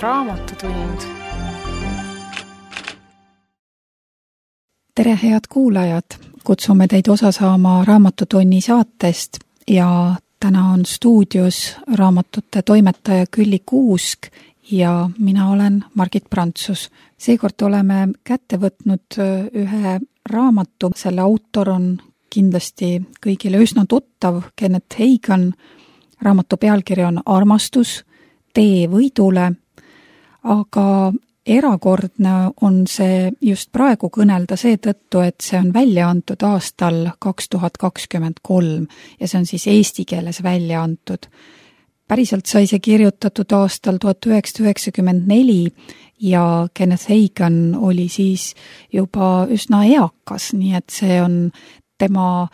Raamatutund. Tere, head kuulajad! Kutsume teid osa saama Raamatutunni saatest ja täna on stuudios raamatute toimetaja Külli Kuusk ja mina olen Margit Prantsus. Seekord oleme kätte võtnud ühe raamatu. Selle autor on kindlasti kõigile üsna tuttav, Kenneth Hagan. Raamatu pealkiri on Armastus, tee võidule, aga erakordne on see just praegu kõnelda seetõttu, et see on välja antud aastal 2023 ja see on siis eesti keeles välja antud. Päriselt sai see kirjutatud aastal 1994 ja Kenneth Hagan oli siis juba üsna eakas, nii et see on tema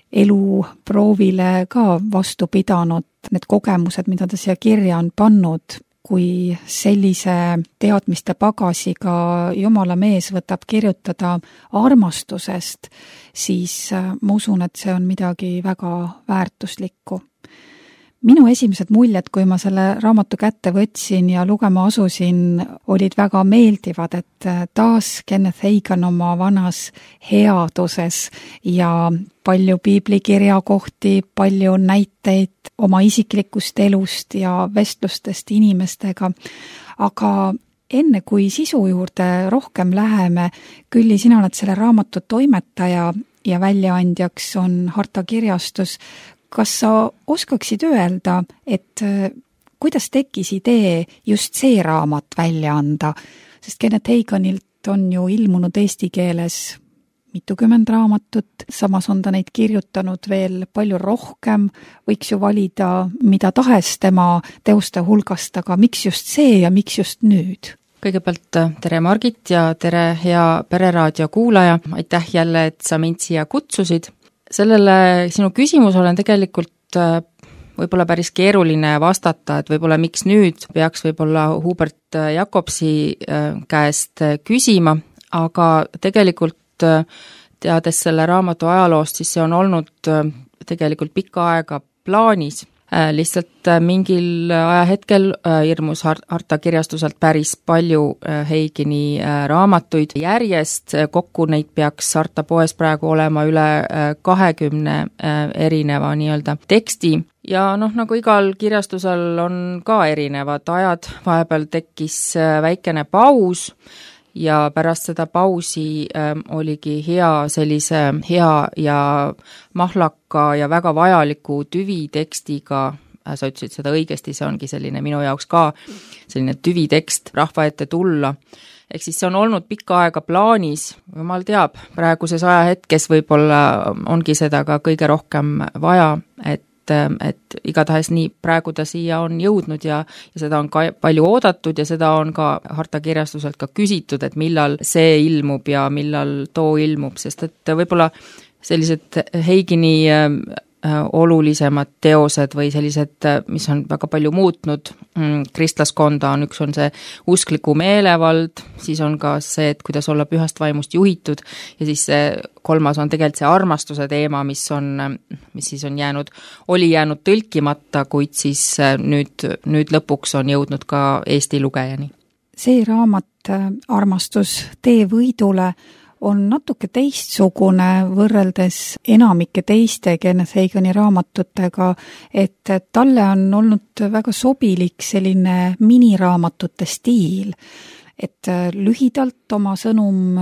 eluproovile ka vastu pidanud. Need kogemused, mida ta siia kirja on pannud, kui sellise teadmiste pagasiga Jumala mees võtab kirjutada armastusest, siis ma usun, et see on midagi väga väärtuslikku. Minu esimesed muljed, kui ma selle raamatu kätte võtsin ja lugema asusin, olid väga meeldivad, et taas Kenneth Hagan oma vanas headuses ja palju piiblikirja kohti, palju näiteid oma isiklikust elust ja vestlustest inimestega. Aga enne kui sisu juurde rohkem läheme, Külli, sina oled selle raamatu toimetaja ja väljaandjaks on Harta kirjastus. Kas sa oskaksid öelda, et kuidas tekkis idee just see raamat välja anda? Sest Kenneth Haganilt on ju ilmunud eesti keeles mitukümmend raamatut, samas on ta neid kirjutanud veel palju rohkem, võiks ju valida mida tahes tema teoste hulgast, aga miks just see ja miks just nüüd? Kõigepealt tere Margit ja tere hea Pereraadio kuulaja, aitäh jälle, et sa mind siia kutsusid. Sellele sinu küsimus olen tegelikult võib-olla päris keeruline vastata, et võib-olla miks nüüd peaks võib-olla Hubert Jacobsi käest küsima, aga tegelikult teades selle raamatu ajaloost, siis see on olnud tegelikult pikka aega plaanis. Lihtsalt mingil ajahetkel ilmus Harta kirjastuselt päris palju Hagani raamatuid järjest. Kokku neid peaks Harta poes praegu olema üle 20 erineva nii-öelda teksti. Ja nagu igal kirjastusel on ka erinevad ajad. Vahepeal tekkis väikene paus ja pärast seda pausi oligi hea ja mahlaka ja väga vajaliku tüvitekstiga, sa ütlesid seda õigesti, see ongi selline minu jaoks ka selline tüvitekst rahva ette tulla. Ehk siis see on olnud pikka aega plaanis, jumal teab, praeguses ajahetkes võib-olla ongi seda ka kõige rohkem vaja, et igatahes nii praegu ta siia on jõudnud ja seda on ka palju oodatud ja seda on ka Harta kirjastuselt ka küsitud, et millal see ilmub ja millal too ilmub, sest et võib-olla sellised Hagani olulisemad teosed või sellised, mis on väga palju muutnud kristlaskonda, üks on see uskliku meelevald, siis on ka see, et kuidas olla pühast vaimust juhitud ja siis see kolmas on tegelikult see armastuse teema, mis siis on oli jäänud tõlkimata, kuid siis nüüd lõpuks on jõudnud ka Eesti lugejani. See raamat Armastus, tee võidule on natuke teistsugune võrreldes enamike teiste Kenneth Hagani raamatutega, et talle on olnud väga sobilik selline miniraamatute stiil, et lühidalt oma sõnum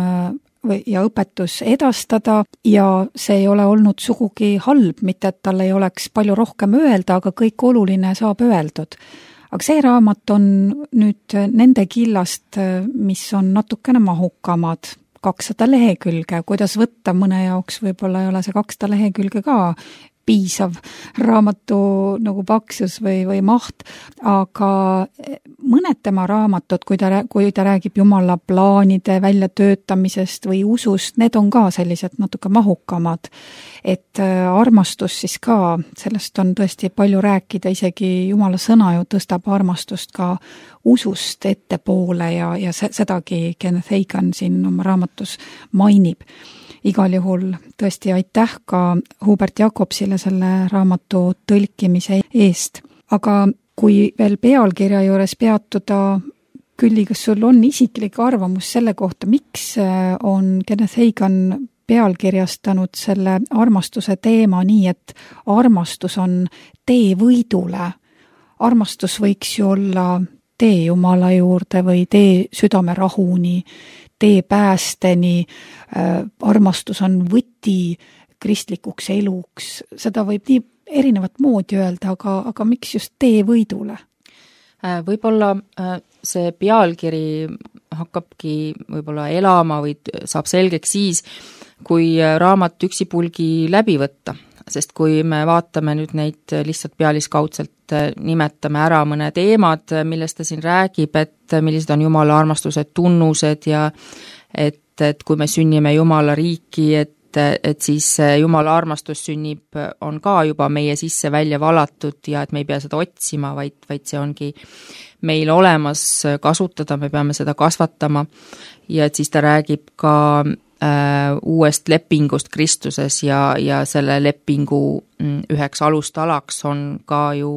ja õpetus edastada ja see ei ole olnud sugugi halb, mitte et tal ei oleks palju rohkem öelda, aga kõik oluline saab öeldud. Aga see raamat on nüüd nende killast, mis on natukene mahukamad, 200 lehekülge, kuidas võtta mõne jaoks, võib-olla ei ole see 200 lehekülge ka piisav raamatu nagu paksus või maht, aga mõned tema raamatud, kui ta räägib Jumala plaanide väljatöötamisest või usust, need on ka sellised natuke mahukamad. Et armastus siis ka, sellest on tõesti palju rääkida, isegi Jumala sõna ju tõstab armastust ka usust ettepoole ja sedagi Kenneth Hagan siin oma raamatus mainib. Igal juhul tõesti aitäh ka Hubert Jacobsile selle raamatu tõlkimise eest. Aga kui veel pealkirja juures peatuda, Külli, kas sul on isiklik arvamus selle kohta, miks on Kenneth Hagin pealkirjastanud selle armastuse teema nii, et armastus on tee võidule? Armastus võiks ju olla tee Jumala juurde või tee südame rahuni, tee päästeni, armastus on võti kristlikuks eluks, seda võib nii erinevat moodi öelda, aga miks just tee võidule? Võib-olla see pealkiri hakkabki võib-olla elama või saab selgeks siis, kui raamat üksipulgi läbi võtta, sest kui me vaatame nüüd neid lihtsalt pealiskaudselt, nimetame ära mõne teemad, millest ta siin räägib, et millised on Jumala armastuse tunnused ja et kui me sünnime Jumala riiki, et siis Jumala armastus sünnib, on ka juba meie sisse välja valatud ja et me ei pea seda otsima, vaid see ongi meil olemas kasutada, me peame seda kasvatama ja et siis ta räägib ka uuest lepingust Kristuses ja selle lepingu üheks alustalaks on ka ju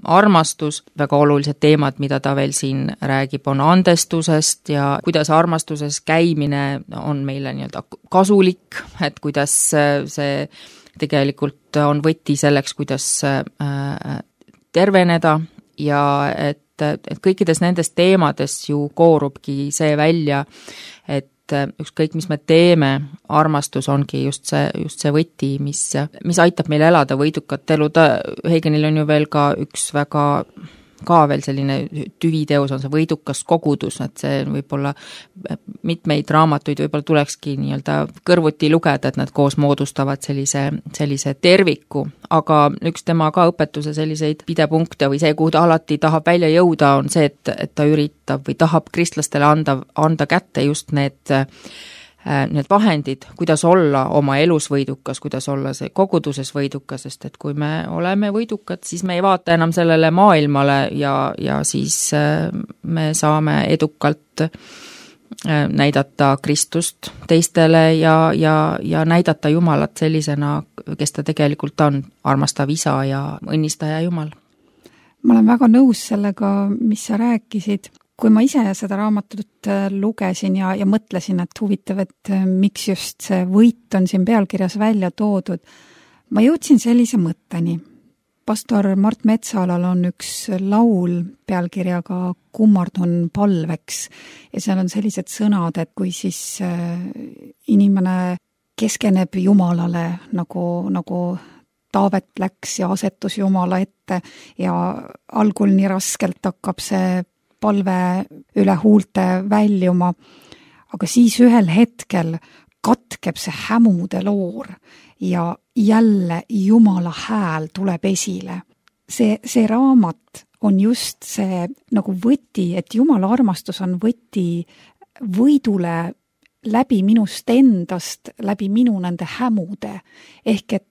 armastus, väga olulised teemad, mida ta veel siin räägib, on andestusest ja kuidas armastuses käimine on meile nii-öelda kasulik, et kuidas see tegelikult on võti selleks, kuidas terveneda ja et kõikides nendes teemades ju koorubki see välja, et ükskõik, mis me teeme, armastus ongi just see võti, mis aitab meil elada võidukat elu. Haginil on ju veel ka üks väga ka veel selline tüviteos on see võidukas kogudus, et see võib-olla mitmeid raamatuid võib-olla tulekski nii-öelda kõrvuti lugeda, et nad koos moodustavad sellise terviku, aga üks tema ka õpetuse selliseid pidepunkte või see, kuhu ta alati tahab välja jõuda, on see, et ta üritab või tahab kristlastele anda kätte just need vahendid, kuidas olla oma elus võidukas, kuidas olla see koguduses võidukas, sest et kui me oleme võidukad, siis me ei vaata enam sellele maailmale ja siis me saame edukalt näidata Kristust teistele ja näidata Jumalat sellisena, kes ta tegelikult on, armastav isa ja õnnistaja Jumal. Ma olen väga nõus sellega, mis sa rääkisid. Kui ma ise seda raamatut lugesin ja mõtlesin, et huvitav, et miks just see võit on siin pealkirjas välja toodud, ma jõudsin sellise mõtteni. Pastor Mart Metsalal on üks laul pealkirjaga Kummardun palveks ja seal on sellised sõnad, et kui siis inimene keskeneb Jumalale nagu Taavet läks ja asetus Jumala ette ja algul nii raskelt hakkab see palve üle huulte väljuma, aga siis ühel hetkel katkeb see hämude loor ja jälle Jumala hääl tuleb esile. See raamat on just see nagu võti, et Jumala armastus on võti võidule läbi minust endast, läbi minu nende hämude, ehk et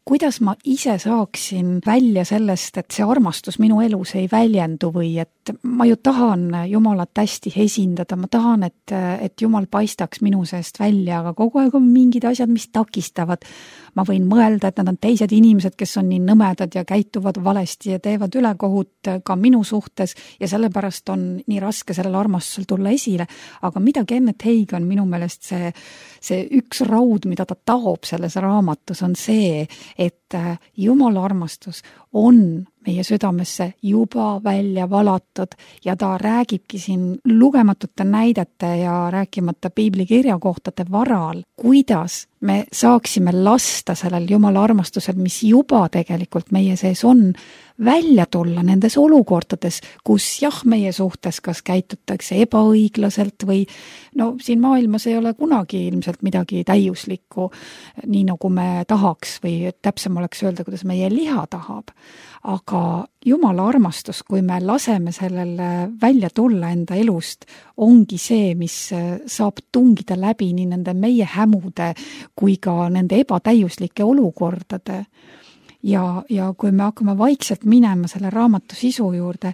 kuidas ma ise saaksin välja sellest, et see armastus minu elus ei väljendu või et ma ju tahan Jumalat hästi esindada, ma tahan, et Jumal paistaks minu seest välja, aga kogu aeg on mingid asjad, mis takistavad. Ma võin mõelda, et nad on teised inimesed, kes on nii nõmedad ja käituvad valesti ja teevad ülekohut ka minu suhtes ja sellepärast on nii raske sellel armastusel tulla esile. Aga mida Kenneth Hagin minu meelest see üks raud, mida ta taob selles raamatus, on see, et Jumala armastus on meie südamesse juba välja valatud ja ta räägibki siin lugematute näidete ja rääkimata piiblikirjakohtade varal, kuidas me saaksime lasta sellel Jumala armastusel, mis juba tegelikult meie sees on, välja tulla nendes olukordades, kus jah, meie suhtes kas käitutakse ebaõiglaselt või no siin maailmas ei ole kunagi ilmselt midagi täiuslikku, nii nagu me tahaks või täpsem oleks öelda, kuidas meie liha tahab. Aga Jumala armastus, kui me laseme sellel välja tulla enda elust, ongi see, mis saab tungida läbi nii nende meie hämude kui ka nende ebatäiuslike olukordade. Ja kui me hakkame vaikselt minema selle raamatu sisu juurde,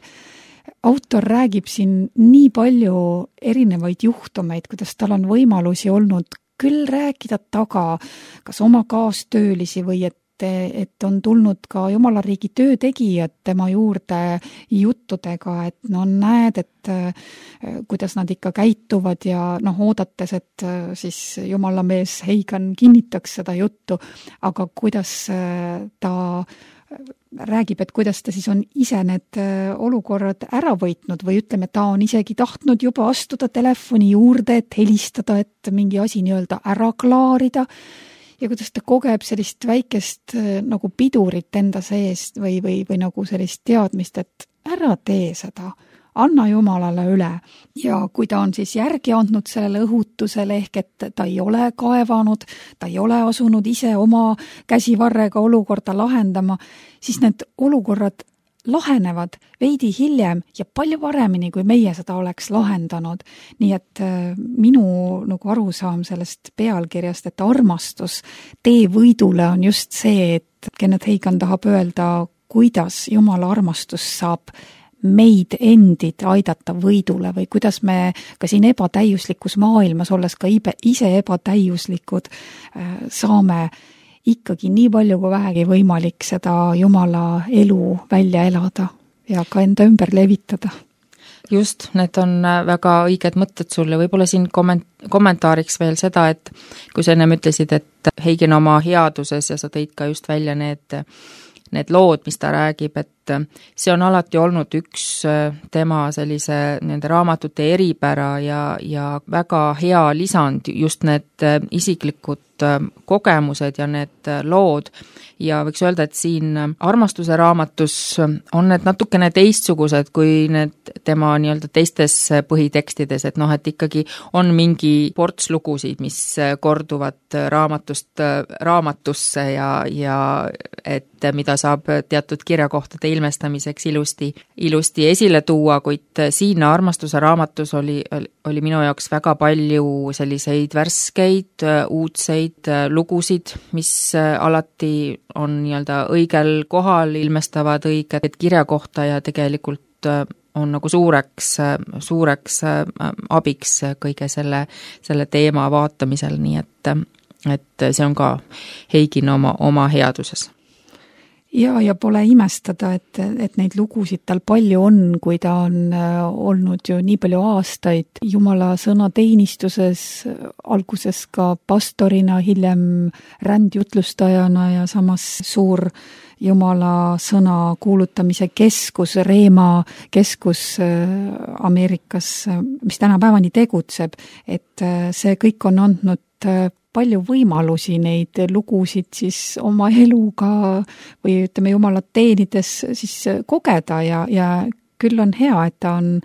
autor räägib siin nii palju erinevaid juhtumeid, kuidas tal on võimalusi olnud küll rääkida taga, kas oma kaastöölisi või et et on tulnud ka Jumala riigi töötegijad tema juurde juttudega, et no näed, et kuidas nad ikka käituvad ja oodates, et siis Jumala mees Heigan kinnitaks seda juttu, aga kuidas ta räägib, et kuidas ta siis on ise need olukorrad ära võitnud või ütleme, ta on isegi tahtnud juba astuda telefoni juurde, et helistada, et mingi asi nii-öelda ära klaarida ja kuidas ta kogeb sellist väikest nagu pidurit enda seest või nagu sellist teadmist, et ära tee seda, anna Jumalale üle. Ja kui ta on siis järgi andnud sellele õhutusele ehk et ta ei ole kaevanud, ta ei ole asunud ise oma käsivarrega olukorda lahendama, siis need olukorrad lahenevad veidi hiljem ja palju paremini, kui meie seda oleks lahendanud. Nii et minu nagu arusaam sellest pealkirjast, et armastus tee võidule on just see, et Kenneth Hagin tahab öelda, kuidas Jumala armastus saab meid endid aidata võidule või kuidas me ka siin ebatäiuslikus maailmas, olles ka ise ebatäiuslikud, saame ikkagi nii palju kui vähegi võimalik seda Jumala elu välja elada ja ka enda ümber levitada. Just, need on väga õiged mõtted sulle. Võib-olla siin kommentaariks veel seda, et kui sa ennem ütlesid, et Hagin oma headuses ja sa tõid ka just välja need lood, mis ta räägib, et see on alati olnud üks tema sellise nende raamatute eripära ja väga hea lisand, just need isiklikud kogemused ja need lood. Ja võiks öelda, et siin armastuse raamatus on need natukene teistsugused kui need tema nii-öelda teistes põhitekstides, et et ikkagi on mingi ports lugusid, mis korduvad raamatust raamatusse ja et mida saab teatud kirjakohtade ilmestamiseks ilusti esile tuua, kuid siin armastuse raamatus oli minu jaoks väga palju selliseid värskeid, uudseid lugusid, mis alati on nii-öelda õigel kohal, ilmestavad õiget kirjakohta ja tegelikult on nagu suureks abiks kõige selle teema vaatamisel, nii et see on ka Hagin oma headuses. Ja pole imestada, et neid lugusid tal palju on, kui ta on olnud ju nii palju aastaid Jumala sõna teenistuses, alguses ka pastorina, hiljem rändjutlustajana ja samas suur Jumala sõna kuulutamise keskus, Reema keskus Ameerikas, mis tänapäevani tegutseb, et see kõik on andnud palju võimalusi neid lugusid siis oma eluga või ütleme Jumalat teenides siis kogeda ja küll on hea, et ta on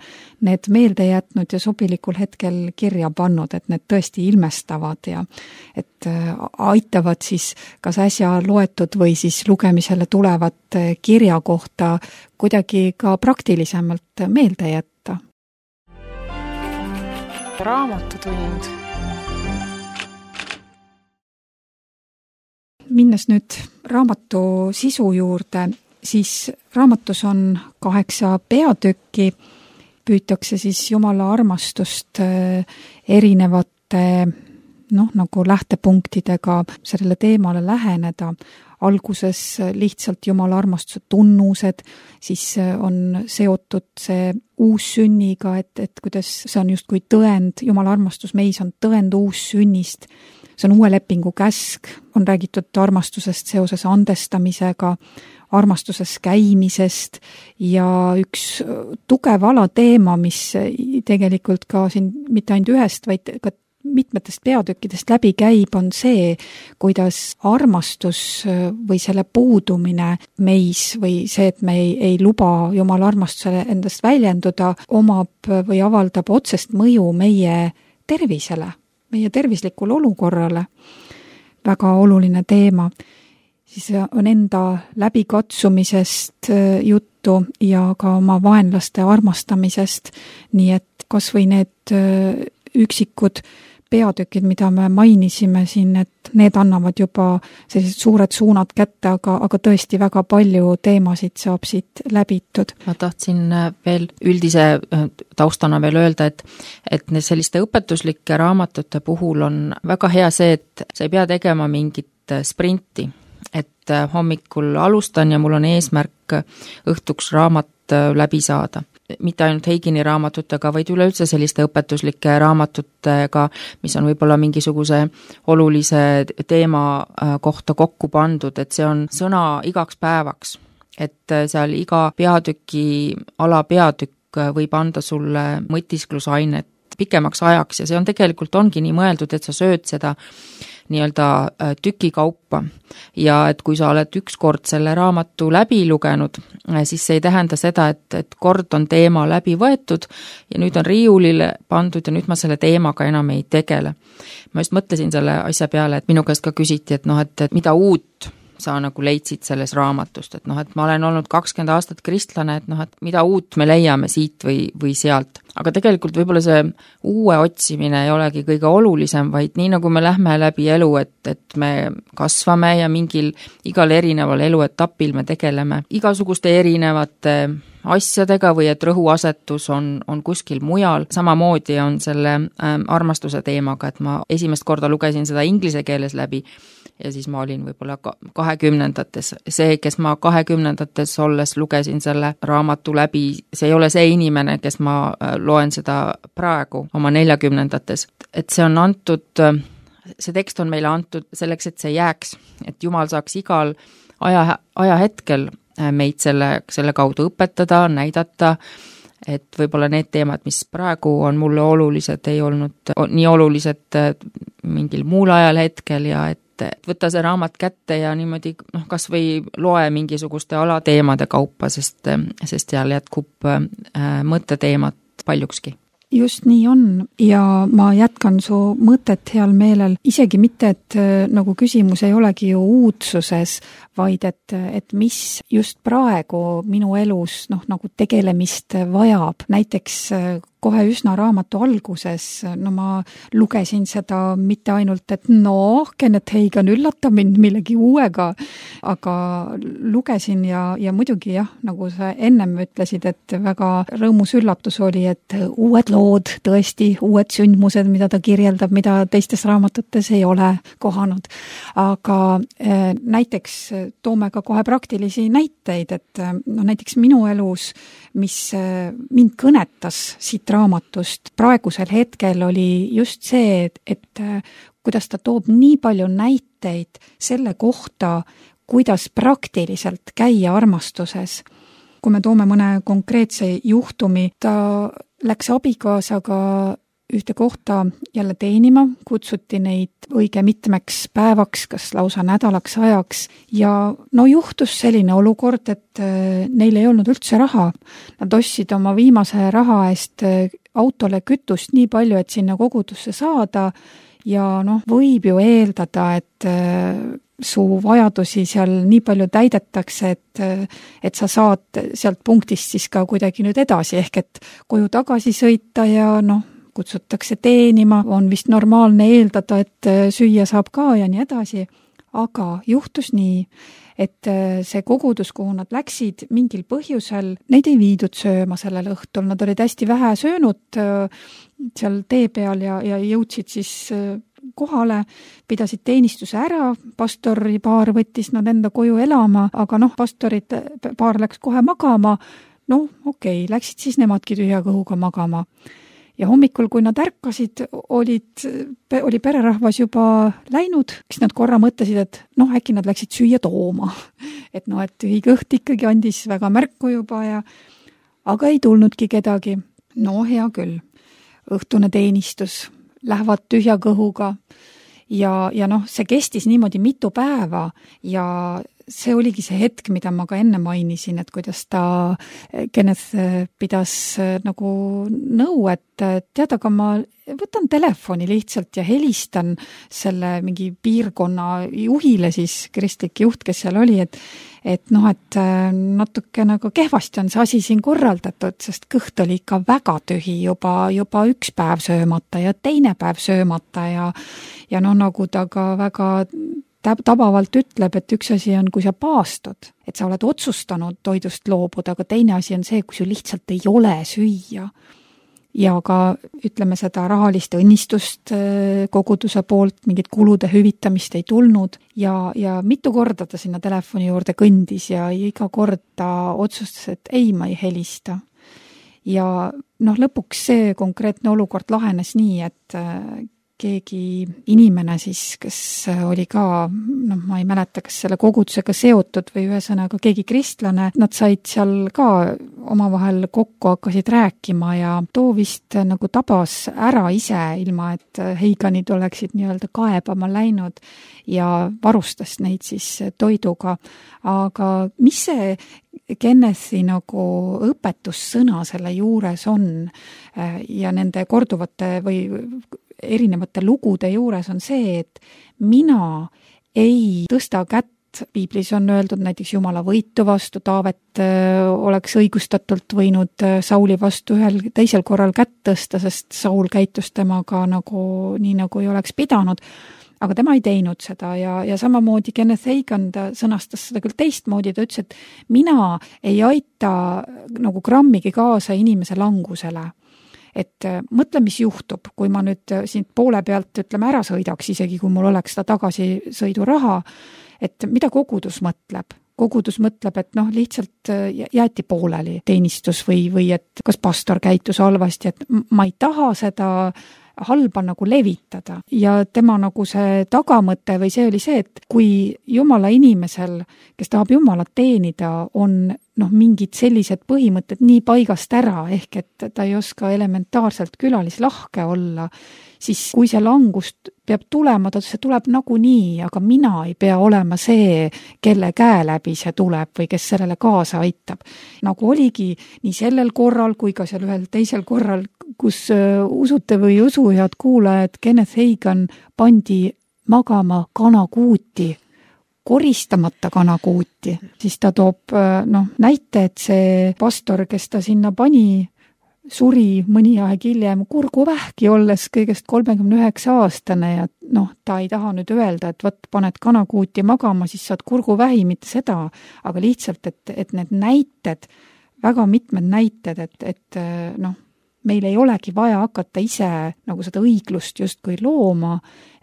need meelde jätnud ja sobilikul hetkel kirja pannud, et need tõesti ilmestavad ja et aitavad siis kas äsja loetud või siis lugemisele tulevat kirja kohta kuidagi ka praktilisemalt meelde jätta. Raamatutund. Minnes nüüd raamatu sisu juurde, siis raamatus on 8 peatükki, püütakse siis Jumala armastust erinevate nagu lähtepunktidega sellele teemale läheneda. Alguses lihtsalt Jumala armastuse tunnused, siis on seotud see uussünniga, et kuidas see on justkui tõend, Jumala armastus meis on tõend uussünnist. See on uue lepingu käsk, on räägitud armastusest seoses andestamisega, armastuses käimisest ja üks tugev alateema, mis tegelikult ka siin mitte ainult ühest, vaid ka mitmetest peatükkidest läbi käib, on see, kuidas armastus või selle puudumine meis või see, et me ei luba Jumala armastusele endast väljenduda, omab või avaldab otsest mõju meie tervisele, meie tervislikul olukorrale. Väga oluline teema. Siis on enda läbikatsumisest juttu ja ka oma vaenlaste armastamisest, nii et kas või need üksikud peatükid, mida me mainisime siin, et need annavad juba sellised suured suunad kätte, aga tõesti väga palju teemasid saab siit läbitud. Ma tahtsin veel üldise taustana veel öelda, et selliste õpetuslike raamatute puhul on väga hea see, et sa ei pea tegema mingit sprinti, et hommikul alustan ja mul on eesmärk õhtuks raamat läbi saada. Mitte ainult Heigini raamatutega, vaid üleüldse selliste õpetuslike raamatutega, mis on võib-olla mingisuguse olulise teema kohta kokku pandud, et see on sõna igaks päevaks. Et seal iga peatüki alapeatükk võib anda sulle mõtisklusainet pikemaks ajaks ja see on tegelikult ongi nii mõeldud, et sa sööd seda nii-öelda tükikaupa ja et kui sa oled ükskord selle raamatu läbi lugenud, siis see ei tähenda seda, et kord on teema läbi võetud ja nüüd on riiulile pandud ja nüüd ma selle teemaga enam ei tegele. Ma just mõtlesin selle asja peale, et minu käest ka küsiti, et mida uut sa nagu leidsid selles raamatust, et et ma olen olnud 20 aastat kristlane, et mida uut me leiame siit või sealt. Aga tegelikult võib-olla see uue otsimine ei olegi kõige olulisem, vaid nii nagu me lähme läbi elu, et me kasvame ja igal erineval eluetapil me tegeleme igasuguste erinevate asjadega või et rõhuasetus on kuskil mujal. Samamoodi on selle armastuse teemaga, et ma esimest korda lugesin seda inglise keeles läbi ja siis ma olin võib-olla 20-ndates. See, kes ma 20-ndates olles lugesin selle raamatu läbi, see ei ole see inimene, kes ma loen seda praegu oma 40-ndates. Et see on antud, see tekst on meile antud selleks, et see jääks, et Jumal saaks igal ajahetkel meid selle kaudu õpetada, näidata, et võib-olla need teemad, mis praegu on mulle olulised, ei olnud nii olulised mingil muul ajal hetkel ja et võtta see raamat kätte ja niimoodi kas või loe mingisuguste alateemade kaupa, sest seal jätkub mõtteteemat paljukski. Just nii on ja ma jätkan su mõtet heal meelel, isegi mitte, et nagu küsimus ei olegi ju uudsuses, vaid et mis just praegu minu elus nagu tegelemist vajab. Näiteks kohe üsna raamatu alguses, ma lugesin seda mitte ainult, et Kenneth Hagan üllata mind millegi uuega, aga lugesin ja muidugi jah, nagu sa ennem ütlesid, et väga rõõmus üllatus oli, et uued lood, tõesti uued sündmused, mida ta kirjeldab, mida teistes raamatutes ei ole kohanud. Aga näiteks toome ka kohe praktilisi näiteid, et näiteks minu elus, mis mind kõnetas siit raamatust praegusel hetkel oli just see, et kuidas ta toob nii palju näiteid selle kohta, kuidas praktiliselt käia armastuses. Kui me toome mõne konkreetse juhtumi, ta läks abikaasaga ühte kohta jälle teenima, kutsuti neid õige mitmeks päevaks, kas lausa nädalaks ajaks ja juhtus selline olukord, et neil ei olnud üldse raha. Nad ostsid oma viimase raha eest autole kütust nii palju, et sinna kogudusse saada ja võib ju eeldada, et su vajadusi seal nii palju täidetakse, et sa saad sealt punktist siis ka kuidagi nüüd edasi, ehk et koju tagasi sõita ja kutsutakse teenima, on vist normaalne eeldada, et süüa saab ka ja nii edasi, aga juhtus nii, et see kogudus, kuhu nad läksid mingil põhjusel, neid ei viidud sööma sellel õhtul, nad olid hästi vähe söönud seal tee peal ja jõudsid siis kohale, pidasid teenistuse ära, pastori paar võttis nad enda koju elama, aga pastorid paar läks kohe magama, okei, läksid siis nemadki tühja kõhuga magama. Ja hommikul, kui nad ärkasid, oli pererahvas juba läinud, siis nad korra mõtlesid, et äkki nad läksid süüa tooma. Et tühi kõht ikkagi andis väga märku juba aga ei tulnudki kedagi. Hea küll. Õhtune teenistus, lähevad tühja kõhuga ja see kestis niimoodi mitu päeva ja see oligi see hetk, mida ma ka enne mainisin, et kuidas ta Kenneth pidas nagu nõu, et tead, aga ma võtan telefoni lihtsalt ja helistan selle mingi piirkonna juhile, siis kristlik juht, kes seal oli, et natuke nagu kehvasti on see asi siin korraldatud, sest kõht oli ikka väga tühi, juba üks päev söömata ja teine päev söömata ja nagu ta ka väga tabavalt ütleb, et üks asi on, kui sa paastud, et sa oled otsustanud toidust loobuda, aga teine asi on see, kui sul lihtsalt ei ole süüa. ja ka ütleme seda rahalist õnnistust koguduse poolt, mingit kulude hüvitamist ei tulnud ja mitu korda ta sinna telefoni juurde kõndis ja iga kord ta otsustas, et ei, ma ei helista. Ja lõpuks see konkreetne olukord lahenes nii, et keegi inimene siis, kes oli ka, ma ei mäleta, kas selle kogudusega seotud või ühesõnaga keegi kristlane, nad said seal ka omavahel kokku, hakkasid rääkima ja too vist nagu tabas ära ise, ilma et Heiganid oleksid nii-öelda kaebama läinud ja varustas neid siis toiduga. Aga mis see Kennethi nagu õpetussõna selle juures on ja nende korduvate või erinevate lugude juures on see, et mina ei tõsta kätt, piiblis on öeldud näiteks Jumala võitu vastu, Taavet oleks õigustatult võinud Sauli vastu ühel teisel korral kätt tõsta, sest Saul käitus temaga nii nagu ei oleks pidanud, aga tema ei teinud seda ja samamoodi Kenneth Hagin sõnastas seda küll teistmoodi, ta ütles, et mina ei aita nagu grammigi kaasa inimese langusele. Et mõtle, mis juhtub, kui ma nüüd siin poole pealt ära sõidaks, isegi kui mul oleks seda tagasisõiduraha, et mida kogudus mõtleb? Kogudus mõtleb, et lihtsalt jäeti pooleli teenistus või et kas pastor käitus halvasti, et ma ei taha seda halba nagu levitada ja tema nagu see tagamõte või see oli see, et kui Jumala inimesel, kes tahab Jumalat teenida, on mingid sellised põhimõtted nii paigast ära, ehk et ta ei oska elementaarselt külalislahke olla, siis kui see langust peab tulema, see tuleb nagunii, aga mina ei pea olema see, kelle käe läbi see tuleb või kes sellele kaasa aitab. Nagu oligi nii sellel korral kui ka seal ühel teisel korral, kus usute või ei usu, head kuulajad, Kenneth Hagin pandi magama kanakuuti, koristamata kanakuuti, siis ta toob näite, et see pastor, kes ta sinna pani, suri mõni aeg hiljem kurguvähki olles kõigest 39-aastane ja ta ei taha nüüd öelda, et võt, paned kanakuuti magama, siis saad kurguvähi, mitte seda, aga lihtsalt, et need näited, väga mitmed näited, et meil ei olegi vaja hakata ise nagu seda õiglust justkui looma,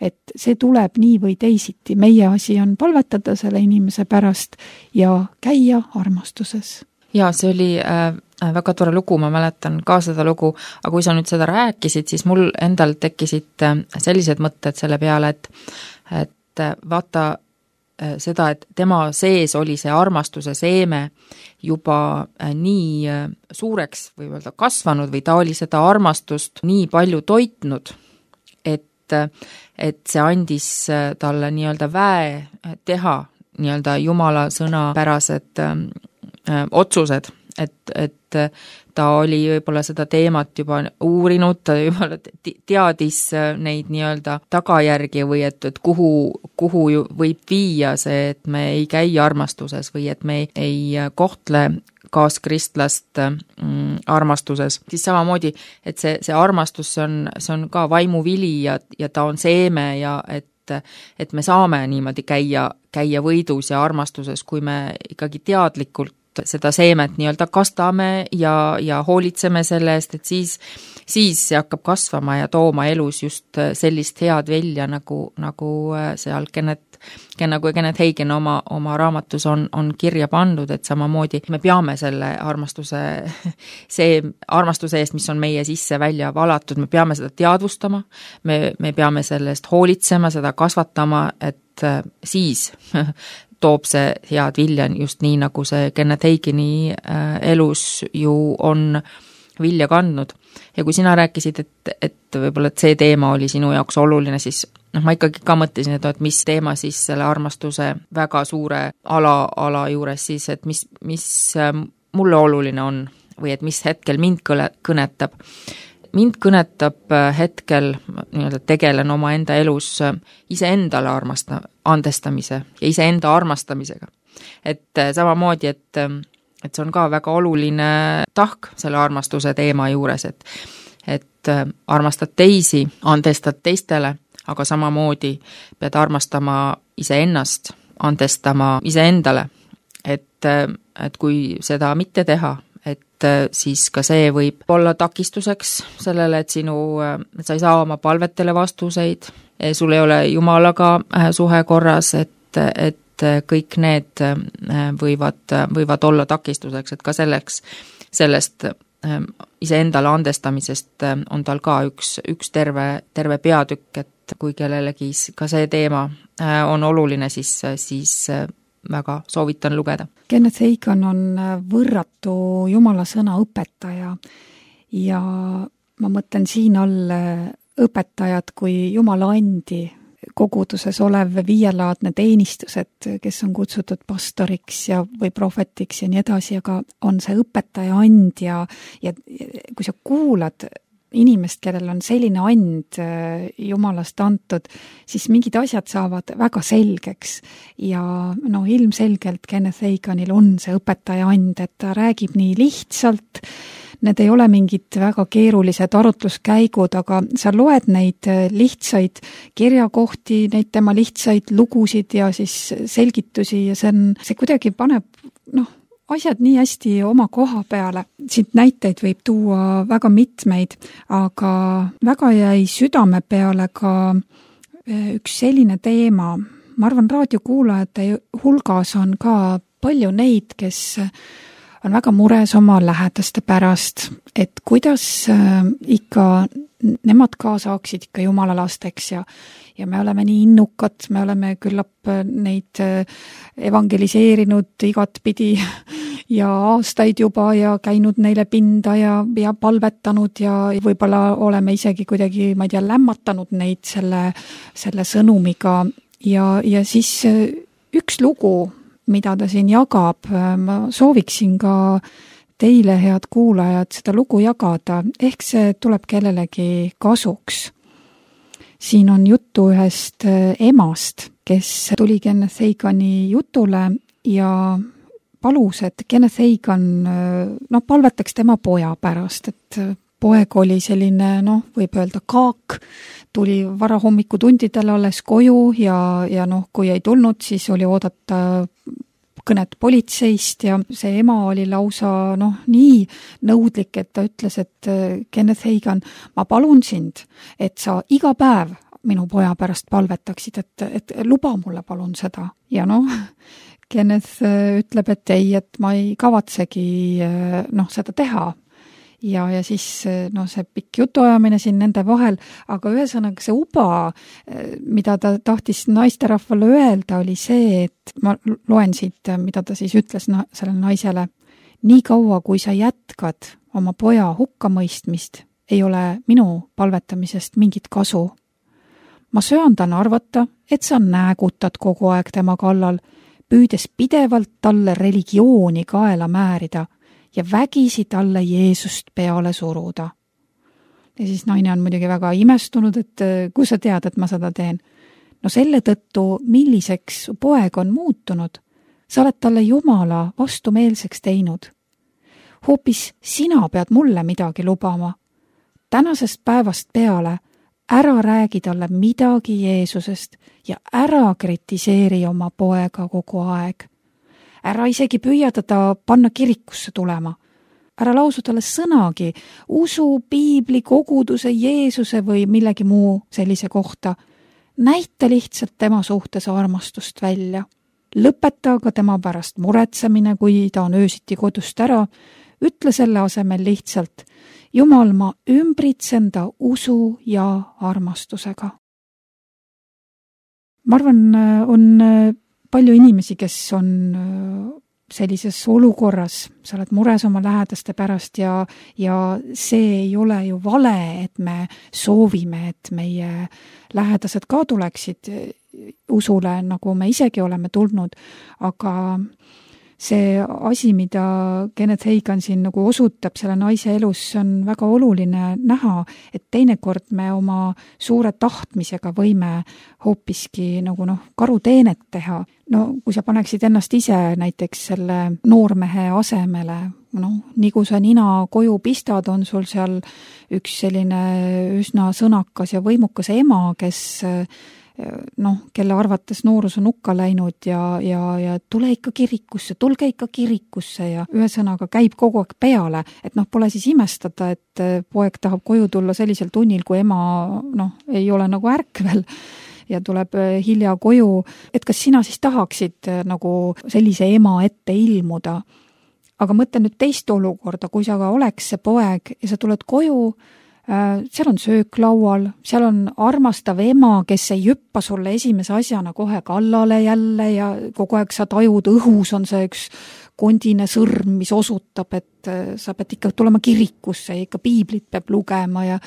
et see tuleb nii või teisiti. Meie asi on palvetada selle inimese pärast ja käia armastuses. Ja see oli väga tore lugu, ma mäletan ka seda lugu, aga kui sa nüüd seda rääkisid, siis mul endal tekkisid sellised mõtted selle peale, et vaata seda, et tema sees oli see armastuse seeme juba nii suureks või öelda kasvanud või ta oli seda armastust nii palju toitnud, et see andis talle nii-öelda väe teha nii-öelda Jumala sõnapärased otsused, et ta oli võib-olla seda teemat juba uurinud, ta juba teadis neid nii-öelda tagajärgi või et kuhu võib viia see, et me ei käi armastuses või et me ei kohtle kaaskristlast armastuses. Siis samamoodi, et see armastus see on ka vaimuvili ja ta on seeme ja et me saame niimoodi käia võidus ja armastuses, kui me ikkagi teadlikult seda seemet nii-öelda kastame ja hoolitseme selle eest, et siis see hakkab kasvama ja tooma elus just sellist head välja, nagu seal Kenneth Hagin oma raamatus on kirja pandud, et samamoodi me peame selle armastuse eest, mis on meie sisse välja valatud, me peame seda teadvustama, me peame selle eest hoolitsema, seda kasvatama, et siis toob see head vilja just nii, nagu see Kenneth Hagini elus ju on vilja kandnud. Ja kui sina rääkisid, et võib-olla et see teema oli sinu jaoks oluline, siis ma ikkagi ka mõtlesin, et mis teema siis selle armastuse väga suure ala juures siis, et mis mulle oluline on või et mis hetkel mind kõnetab. Mind kõnetab hetkel, tegelen oma enda elus iseendale andestamise ja iseenda armastamisega. Et samamoodi, et see on ka väga oluline tahk selle armastuse teema juures, et armastad teisi, andestad teistele, aga samamoodi pead armastama iseennast, andestama iseendale, et kui seda mitte teha, et siis ka see võib olla takistuseks sellele, et sa ei saa oma palvetele vastuseid, sul ei ole Jumalaga suhe korras, et kõik need võivad olla takistuseks, et ka sellest iseendale andestamisest on tal ka üks terve peatükk, et kui kellelegi ka see teema on oluline, siis väga soovitan lugeda. Kenneth Hagin on võrratu Jumala sõna õpetaja ja ma mõtlen siin all õpetajad kui Jumala andi koguduses olev viielaadne teenistused, kes on kutsutud pastoriks või prohvetiks ja nii edasi, aga on see õpetaja and ja kui sa kuulad inimest, kellel on selline and Jumalast antud, siis mingid asjad saavad väga selgeks ja ilmselgelt Kenneth Haginil on see õpetaja and, et ta räägib nii lihtsalt, need ei ole mingid väga keerulised arutluskäigud, aga sa loed neid lihtsaid kirjakohti, neid tema lihtsaid lugusid ja siis selgitusi ja see kuidagi paneb asjad nii hästi oma koha peale. Siit näiteid võib tuua väga mitmeid, aga väga jäi südame peale ka üks selline teema. Ma arvan, raadiokuulajate hulgas on ka palju neid, kes on väga mures oma lähedaste pärast, et kuidas ikka nemad ka saaksid ikka Jumala lasteks ja me oleme nii innukad, me oleme küllap neid evangeliseerinud igatpidi ja aastaid juba ja käinud neile pinda ja palvetanud ja võib-olla oleme isegi kuidagi, ma ei tea, lämmatanud neid selle sõnumiga ja siis üks lugu, mida ta siin jagab, ma sooviksin ka teile, head kuulajad, seda lugu jagada, ehk see tuleb kellelegi kasuks. Siin on juttu ühest emast, kes tuli Kenneth Hagini jutule ja palus, et Kenneth Hagin palvetaks tema poja pärast, et poeg oli selline, võib öelda kaak, tuli varahommikutundidel alles koju ja kui ei tulnud, siis oli oodata kõnet politseist ja see ema oli lausa nii nõudlik, et ta ütles, et Kenneth Hagin, ma palun sind, et sa iga päev minu poja pärast palvetaksid, et luba mulle palun seda. Ja Kenneth ütleb, et ei, et ma ei kavatsegi seda teha. Ja siis see pikk jutuajamine siin nende vahel, aga ühesõnaga see uba, mida ta tahtis naisterahvale öelda, oli see, et ma loen siit, mida ta siis ütles sellele naisele. Nii kaua, kui sa jätkad oma poja hukkamõistmist, ei ole minu palvetamisest mingit kasu. Ma söandan arvata, et sa näägutad kogu aeg tema kallal, püüdes pidevalt talle religiooni kaela määrida ja vägisi talle Jeesust peale suruda. Ja siis naine on muidugi väga imestunud, et kui sa tead, et ma seda teen. Selle tõttu, milliseks poeg on muutunud, sa oled talle Jumala vastumeelseks teinud. Hoopis sina pead mulle midagi lubama. Tänasest päevast peale ära räägi talle midagi Jeesusest ja ära kritiseeri oma poega kogu aeg. Ära isegi püüa teda panna kirikusse tulema. Ära lausu talle sõnagi, usu, piibli, koguduse, Jeesuse või millegi muu sellise kohta. Näita lihtsalt tema suhtes armastust välja. Lõpeta aga tema pärast muretsemine, kui ta on öösiti kodust ära. Ütle selle asemel lihtsalt, Jumal, ma ümbritsen ta usu ja armastusega. Ma arvan, on palju inimesi, kes on sellises olukorras, sa oled mures oma lähedaste pärast ja see ei ole ju vale, et me soovime, et meie lähedased ka tuleksid usule, nagu me isegi oleme tulnud, aga see asi, mida Kenneth Hagin siin nagu osutab selle naise elus, on väga oluline näha, et teinekord me oma suure tahtmisega võime hoopiski nagu karuteenet teha. Kui sa paneksid ennast ise näiteks selle noormehe asemele, nii kui sa nina koju pistad, on sul seal üks selline üsna sõnakas ja võimukas ema, kes kelle arvates noorus on hukka läinud ja tule ikka kirikusse, tulge ikka kirikusse ja ühesõnaga käib kogu aeg peale, et pole siis imestada, et poeg tahab koju tulla sellisel tunnil, kui ema ei ole nagu ärkvel ja tuleb hilja koju, et kas sina siis tahaksid nagu sellise ema ette ilmuda. Aga mõtle nüüd teist olukorda, kui sa ka oleks see poeg ja sa tuled koju, seal on söök laual, seal on armastav ema, kes ei hüppa sulle esimese asjana kohe kallale jälle ja kogu aeg sa tajud, õhus on see üks kondine sõrm, mis osutab, et sa pead ikka tulema kirikusse ja ikka piiblit peab lugema ja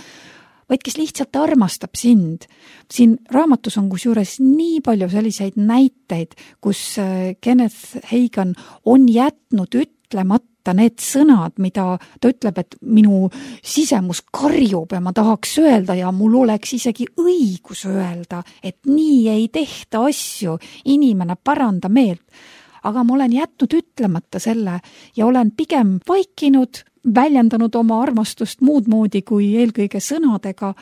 vaid kes lihtsalt armastab sind. Siin raamatus on kusjuures nii palju selliseid näiteid, kus Kenneth Hagin on jätnud ütlemata need sõnad, mida ta ütleb, et minu sisemus karjub ja ma tahaks öelda ja mul oleks isegi õigus öelda, et nii ei tehta asju, inimene paranda meelt. Aga ma olen jätnud ütlemata selle ja olen pigem vaikinud, väljendanud oma armastust muud moodi kui eelkõige sõnadega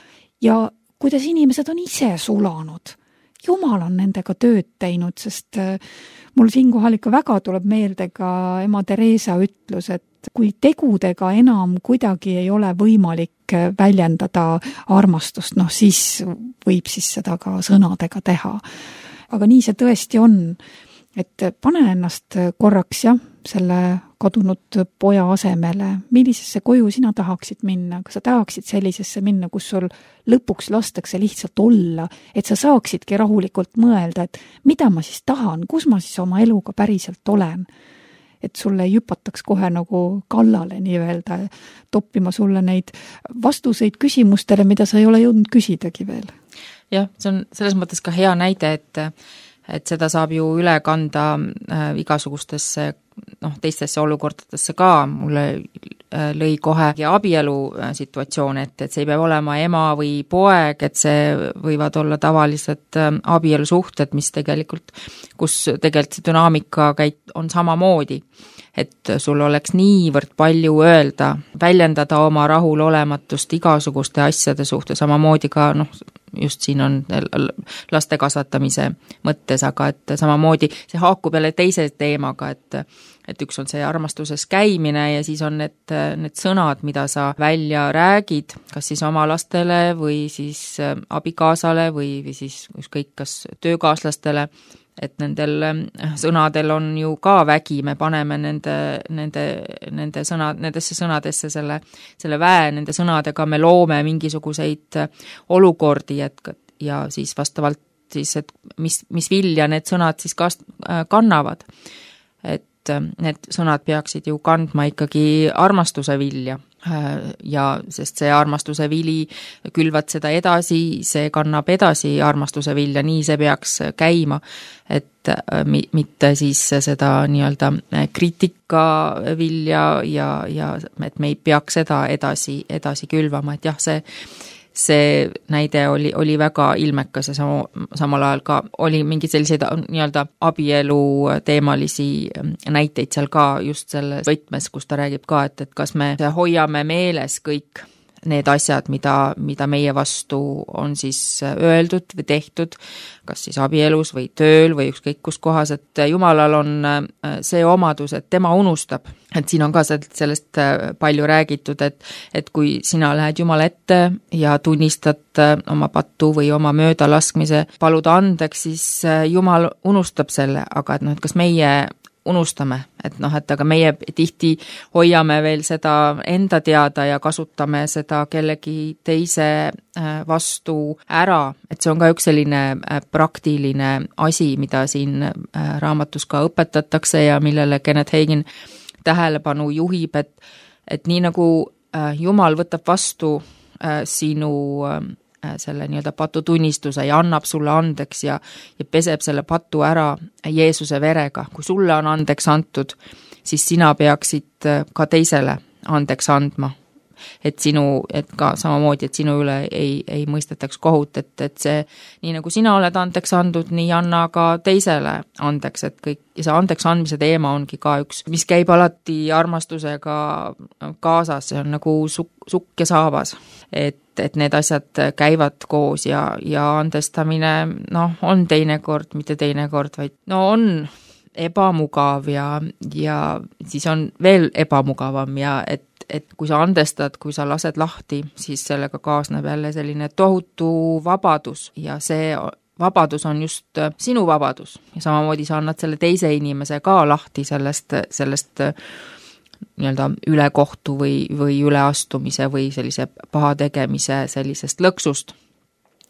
ja kuidas inimesed on ise sulanud. Jumal on nendega tööd teinud, sest mul siinkohal ikka väga tuleb meelde ka ema Teresa ütlus, et kui tegudega enam kuidagi ei ole võimalik väljendada armastust, siis võib siis seda ka sõnadega teha. Aga nii see tõesti on, et pane ennast korraks selle kadunud poja asemele, millisesse koju sina tahaksid minna, kas sa tahaksid sellisesse minna, kus sul lõpuks lastakse lihtsalt olla, et sa saaksidki rahulikult mõelda, et mida ma siis tahan, kus ma siis oma eluga päriselt olen, et sulle ei hüpataks kohe nagu kallale nii-öelda, toppima sulle neid vastuseid küsimustele, mida sa ei ole jõudnud küsidagi veel. Jah, see on selles mõttes ka hea näide, et seda saab ju üle kanda igasugustesse teistesse olukordadesse ka. Mulle lõi kohe abielu situatsioon, et see ei pea olema ema või poeg, et see võivad olla tavalised abielusuhted, mis kus tegelikult see dünaamika on samamoodi, et sul oleks niivõrd palju öelda, väljendada oma rahulolematust igasuguste asjade suhtes, samamoodi ka just siin on laste kasvatamise mõttes, aga et samamoodi see haakub jälle teise teemaga, et üks on see armastuses käimine ja siis on need sõnad, mida sa välja räägid, kas siis oma lastele või siis abikaasale või siis ükskõik kas töökaaslastele, et nendel sõnadel on ju ka vägi, me paneme nendesse sõnadesse selle väe, nende sõnadega me loome mingisuguseid olukordi, ja siis vastavalt siis, et mis vilja need sõnad siis kannavad. Et need sõnad peaksid ju kandma ikkagi armastuse vilja. Ja sest see armastuse vili külvad seda edasi, see kannab edasi armastuse vilja, nii see peaks käima, et mitte siis seda nii-öelda kriitika vilja ja et me ei peaks seda edasi külvama, et jah, see näide oli väga ilmekas ja samal ajal ka oli mingi selliseid nii-öelda abielu teemalisi näiteid seal ka just selles võtmes, kus ta räägib ka, et kas me hoiame meeles kõik need asjad, mida meie vastu on siis öeldud või tehtud, kas siis abielus või tööl või ükskõik kus kohas, et Jumalal on see omadus, et tema unustab. Et siin on ka sellest palju räägitud, et kui sina lähed Jumala ette ja tunnistad oma pattu või oma möödalaskmise, paluda andeks, siis Jumal unustab selle, aga et kas meie unustame, et aga meie tihti hoiame veel seda enda teada ja kasutame seda kellegi teise vastu ära, et see on ka üks selline praktiline asi, mida siin raamatus ka õpetatakse ja millele Kenneth Hagin tähelepanu juhib, et nii nagu Jumal võtab vastu sinu selle nii-öelda patutunnistuse ja annab sulle andeks ja peseb selle patu ära Jeesuse verega. Kui sulle on andeks antud, siis sina peaksid ka teisele andeks andma. Et ka samamoodi, et sinu üle ei mõistetaks kohut, et see, nii nagu sina oled andeks andud, nii anna ka teisele andeks, et kõik, ja see andeks andmise teema ongi ka üks, mis käib alati armastusega kaasas, see on nagu sukk ja saabas, et et need asjad käivad koos ja andestamine, on teinekord, mitte teinekord, vaid on ebamugav ja siis on veel ebamugavam ja et kui sa andestad, kui sa lased lahti, siis sellega kaasneb jälle selline tohutu vabadus ja see vabadus on just sinu vabadus ja samamoodi sa annad selle teise inimese ka lahti sellest nii-öelda ülekohtu või üleastumise või sellise paha tegemise sellisest lõksust.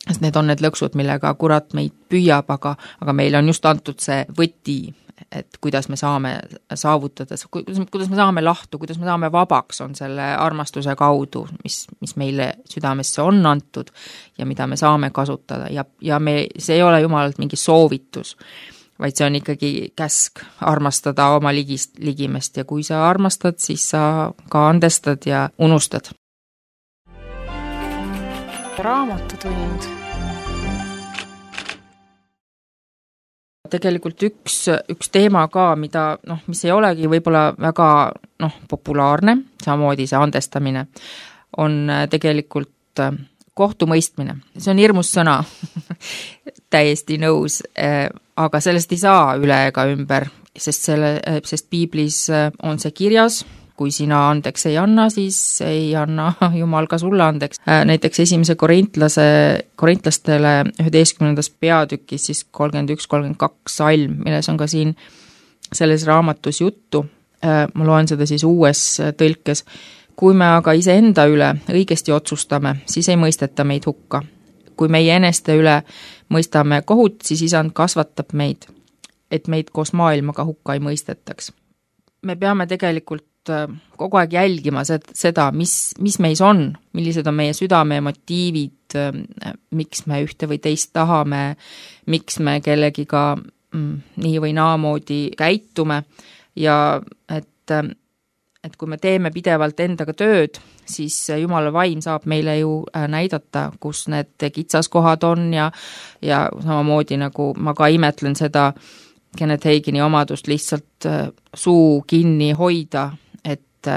Sest need on need lõksud, millega kurat meid püüab, aga meil on just antud see võti, et kuidas me saame saavutada, kuidas me saame lahtu, kuidas me saame vabaks, on selle armastuse kaudu, mis meile südamesse on antud ja mida me saame kasutada ja see ei ole jumalalt mingi soovitus, vaid see on ikkagi käsk armastada oma ligimest ja kui sa armastad, siis sa ka andestad ja unustad. Raamatutund. Tegelikult üks teema ka, mis ei olegi võib-olla väga populaarne, samamoodi see andestamine, on tegelikult kohtumõistmine. See on hirmus sõna, täiesti nõus, aga sellest ei saa üle ega ümber, sest piiblis on see kirjas, kui sina andeks ei anna, siis ei anna Jumal ka sulle andeks. Näiteks 1. korintlastele 11. peatükis siis 31-32 salm, milles on ka siin selles raamatus juttu. Ma loen seda siis uues tõlkes. Kui me aga iseenda üle õigesti otsustame, siis ei mõisteta meid hukka. Kui meie eneste üle mõistame kohut, siis isand kasvatab meid, et meid koos maailmaga hukka ei mõistetaks. Me peame tegelikult kogu aeg jälgima seda, mis meis on, millised on meie südame motiivid, miks me ühte või teist tahame, miks me kellegiga nii või naamoodi käitume ja et kui me teeme pidevalt endaga tööd, siis Jumala vaim saab meile ju näidata, kus need kitsaskohad on ja samamoodi nagu ma ka imetlen seda Kenneth Hagini omadust lihtsalt suu kinni hoida, et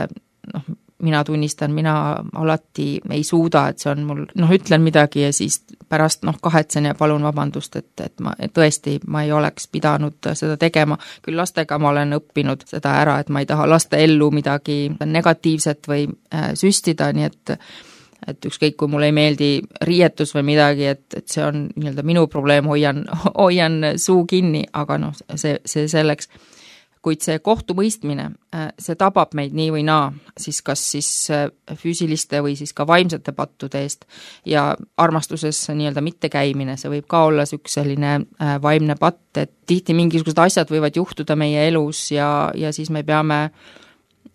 mina tunnistan, mina alati ei suuda, et see on mul, ütlen midagi ja siis pärast kahetsen ja palun vabandust, et ma tõesti, ma ei oleks pidanud seda tegema. Küll lastega ma olen õppinud seda ära, et ma ei taha laste ellu midagi negatiivset või süstida, nii et ükskõik, kui mulle ei meeldi riietus või midagi, et see on nii-öelda minu probleem, hoian suu kinni, aga see selleks. Kuid see kohtumõistmine, see tabab meid nii või naa, siis kas siis füüsiliste või siis ka vaimsete pattude eest ja armastuses nii-öelda mittekäimine, see võib ka olla üks selline vaimne patt, et tihti mingisugused asjad võivad juhtuda meie elus ja siis me peame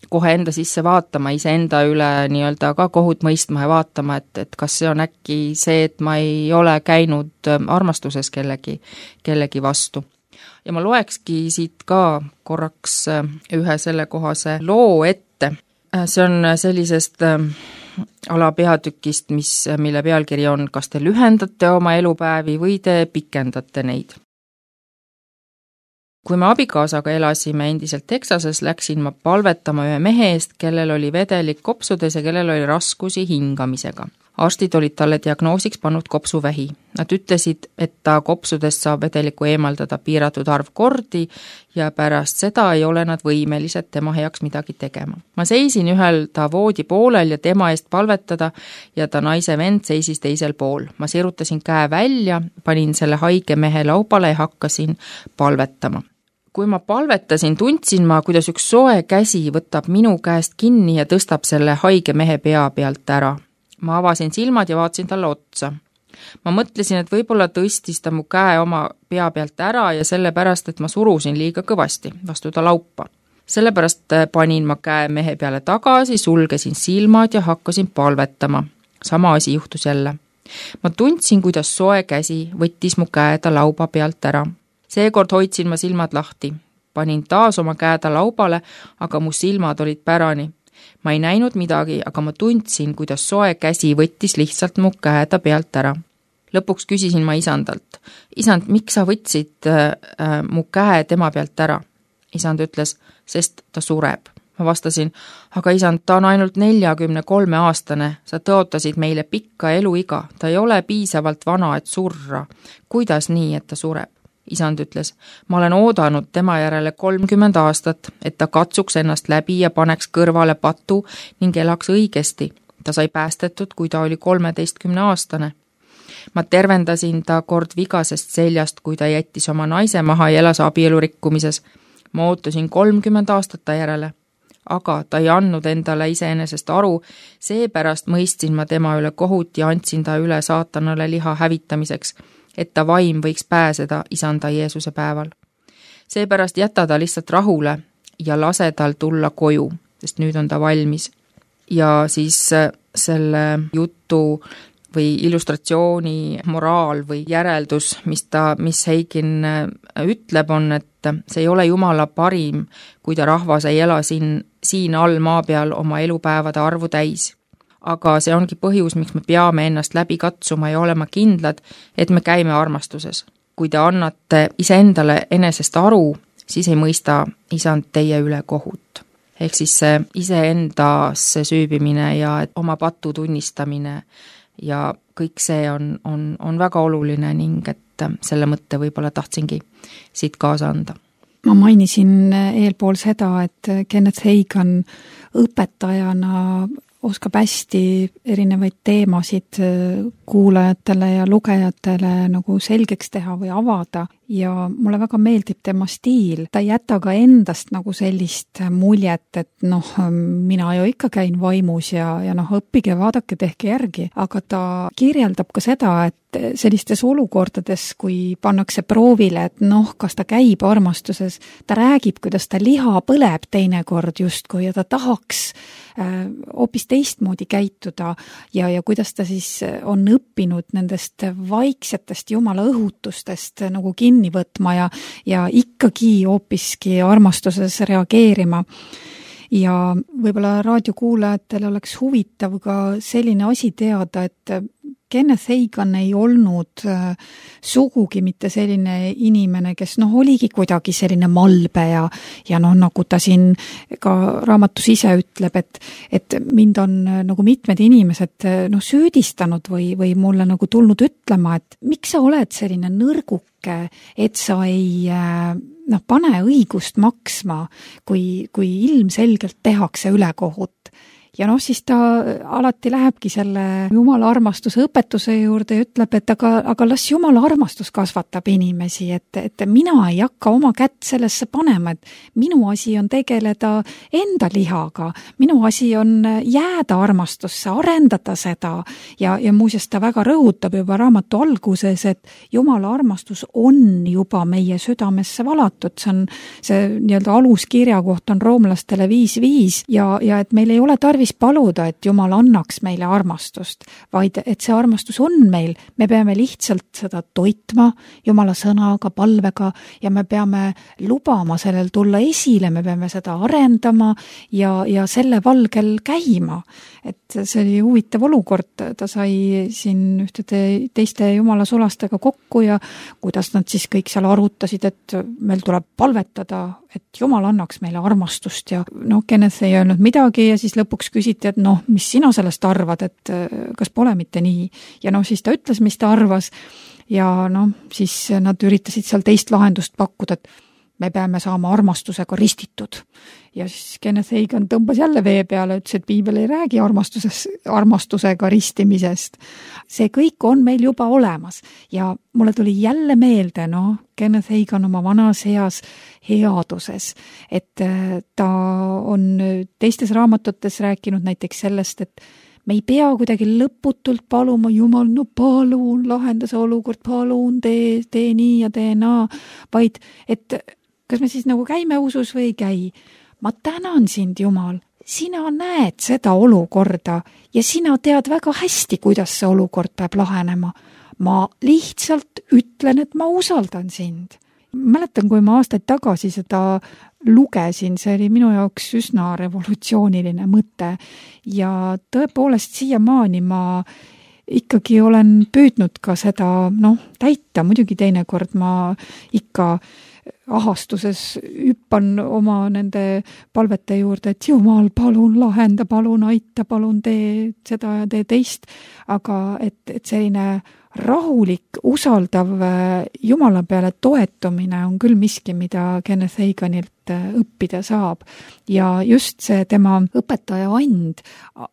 kohe enda sisse vaatama, iseenda üle nii-öelda ka kohut mõistma ja vaatama, et kas see on äkki see, et ma ei ole käinud armastuses kellegi vastu. Ja ma loekski siit ka korraks ühe sellekohase loo ette. See on sellisest alapeatükist, mille pealkiri on kas te lühendate oma elupäevi või te pikendate neid. Kui me abikaasaga elasime endiselt Texases, läksin ma palvetama ühe mehe eest, kellel oli vedelik kopsudes ja kellel oli raskusi hingamisega. Arstid olid talle diagnoosiks pannud kopsuvähi. Nad ütlesid, et ta kopsudest saab vedelikku eemaldada piiratud arv kordi ja pärast seda ei ole nad võimelised tema heaks midagi tegema. Ma seisin ühel ta voodi poolel ja tema eest palvetada ja ta naise vend seisis teisel pool. Ma sirutasin käe välja, panin selle haige mehe laubale ja hakkasin palvetama. Kui ma palvetasin, tundsin ma, kuidas üks soe käsi võtab minu käest kinni ja tõstab selle haige mehe pea pealt ära. Ma avasin silmad ja vaatasin talle otsa. Ma mõtlesin, et võib-olla tõstis ta mu käe oma pea pealt ära ja sellepärast, et ma surusin liiga kõvasti vastu ta laupa. Sellepärast panin ma käe mehe peale tagasi, sulgesin silmad ja hakkasin palvetama. Sama asi juhtus jälle. Ma tundsin, kuidas soe käsi võttis mu käe ta lauba pealt ära. Seekord hoidsin ma silmad lahti. Panin taas oma käe ta laubale, aga mu silmad olid pärani. Ma ei näinud midagi, aga ma tundsin, kuidas soe käsi võttis lihtsalt mu käe ta pealt ära. Lõpuks küsisin ma isandalt. Isand, miks sa võtsid mu käe tema pealt ära? Isand ütles, sest ta sureb. Ma vastasin, aga isand, ta on ainult 43-aastane, sa tõotasid meile pikka eluiga, ta ei ole piisavalt vana, et surra. Kuidas nii, et ta sureb? Isand ütles, ma olen oodanud tema järele 30 aastat, et ta katsuks ennast läbi ja paneks kõrvale patu ning elaks õigesti. Ta sai päästetud, kui ta oli 13-aastane. Ma tervendasin ta kord vigasest seljast, kui ta jättis oma naise maha ja elas abielu rikkumises. Ma ootasin 30 aastat ta järele, aga ta ei andnud endale iseenesest aru, seepärast mõistsin ma tema üle kohut ja andsin ta üle saatanale liha hävitamiseks, et ta vaim võiks pääseda isanda Jeesuse päeval. Seepärast jäta ta lihtsalt rahule ja lase tal tulla koju, sest nüüd on ta valmis. Ja siis selle jutu või illustratsiooni moraal või järeldus, mis Heigin ütleb, on, et see ei ole Jumala parim, kui ta rahvas ei ela siin all maa peal oma elupäevade arvu täis. Aga see ongi põhjus, miks me peame ennast läbi katsuma ja olema kindlad, et me käime armastuses. Kui te annate iseendale enesest aru, siis ei mõista isand teie üle kohut. Ehk siis see iseendasse süübimine ja oma patu tunnistamine ja kõik see on väga oluline ning et selle mõtte võib-olla tahtsingi siit kaasa anda. Ma mainisin eelpool seda, et Kenneth Hagin õpetajana oskab hästi erinevaid teemasid kuulajatele ja lugejatele nagu selgeks teha või avada ja mulle väga meeldib tema stiil. Ta ei jäta ka endast nagu sellist muljet, et mina ju ikka käin vaimus ja õppige, vaadake, tehke järgi. Aga ta kirjeldab ka seda, et sellistes olukordades, kui pannakse proovile, et kas ta käib armastuses, ta räägib, kuidas ta liha põleb teinekord justkui ja ta tahaks hoopis teistmoodi käituda ja kuidas ta siis on õppinud nendest vaiksetest Jumala õhutustest nagu kinni võtma ja ikkagi hoopiski armastuses reageerima. Ja võib-olla raadiokuulajatele oleks huvitav ka selline asi teada, et Kenneth Hagin ei olnud sugugi mitte selline inimene, kes oligi kuidagi selline malbe ja nagu ta siin ka raamatus ise ütleb, et mind on nagu mitmed inimesed süüdistanud või mulle nagu tulnud ütlema, et miks sa oled selline nõrguke, et sa ei pane õigust maksma, kui ilmselgelt tehakse ülekohut. Ja siis ta alati lähebki selle Jumala armastuse õpetuse juurde ja ütleb, et aga las Jumala armastus kasvatab inimesi, et mina ei hakka oma kätt sellesse panema, et minu asi on tegeleda enda lihaga, minu asi on jääda armastusse, arendada seda ja muuseas ta väga rõhutab juba raamatu alguses, et Jumala armastus on juba meie südamesse valatud, see nii-öelda aluskirja koht on roomlastele 5:5 ja et meil ei ole tarvis paluda, et Jumal annaks meile armastust, vaid et see armastus on meil, me peame lihtsalt seda toitma Jumala sõnaga, palvega ja me peame lubama sellel tulla esile, me peame seda arendama ja selle valgel käima. Et see oli huvitav olukord, ta sai siin ühtede teiste Jumala sulastega kokku ja kuidas nad siis kõik seal arutasid, et meil tuleb palvetada, et Jumal annaks meile armastust ja Kenneth ei öelnud midagi ja siis lõpuks küsiti, et mis sina sellest arvad, et kas pole mitte nii. Ja siis ta ütles, mis ta arvas ja siis nad üritasid seal teist lahendust pakkuda, et me peame saama armastusega ristitud. Ja siis Kenneth Hagin tõmbas jälle vee peale, ütles, et Piibel ei räägi armastusega ristimisest. See kõik on meil juba olemas ja mulle tuli jälle meelde, Kenneth Hagin oma vanas heas headuses, et ta on teistes raamatutes rääkinud näiteks sellest, et me ei pea kuidagi lõputult paluma, Jumal, palun, lahenda see olukord, palun, tee nii ja tee naa, vaid et kas me siis nagu käime usus või ei käi? Ma tänan sind, Jumal, sina näed seda olukorda ja sina tead väga hästi, kuidas see olukord peab lahenema. Ma lihtsalt ütlen, et ma usaldan sind. Mäletan, kui ma aastaid tagasi seda lugesin, see oli minu jaoks üsna revolutsiooniline mõte ja tõepoolest siiamaani ma ikkagi olen püüdnud ka seda täita, muidugi teinekord ma ikka ahastuses hüppan oma nende palvete juurde, et Jumal, palun lahenda, palun aita, palun tee seda ja tee teist, aga et selline rahulik, usaldav Jumala peale toetumine on küll miski, mida Kenneth Haganilt õppida saab. Ja just see tema õpetaja and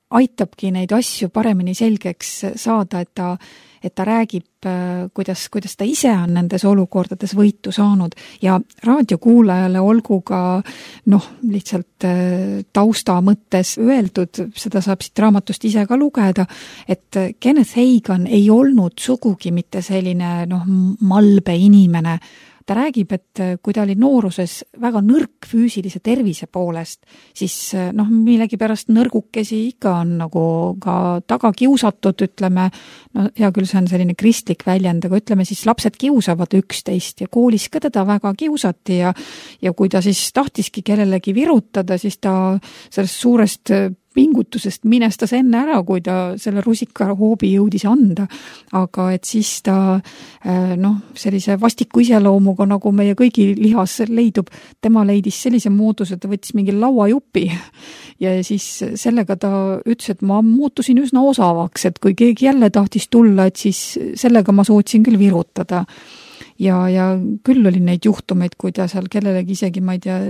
aitabki neid asju paremini selgeks saada, et ta räägib, kuidas ta ise on nendes olukordades võitu saanud ja raadiokuulajale olgu ka lihtsalt tausta mõttes öeldud, seda saab siit raamatust ise ka lugeda, et Kenneth Hagan ei olnud sugugi mitte selline malbe inimene. Ta räägib, et kui ta oli nooruses väga nõrk füüsilise tervise poolest, siis millegi pärast nõrgukesi ikka on nagu ka taga kiusatud, ütleme, hea küll, see on selline kristlik väljend, aga ütleme siis lapsed kiusavad üksteist ja koolis ka teda väga kiusati ja kui ta siis tahtiski kellelegi virutada, siis ta sellest suurest pingutusest minestas enne ära, kui ta selle rusika hoobi jõudis anda. Aga et siis ta sellise vastiku iseloomuga, nagu meie kõigi lihas leidub, tema leidis sellise mooduse, ta võttis mingi lauajupi ja siis sellega ta ütles, et ma muutusin üsna osavaks, et kui keegi jälle tahtis tulla, et siis sellega ma suutsin küll virutada. Ja küll oli neid juhtumeid, kui ta seal kellelegi isegi, ma ei tea,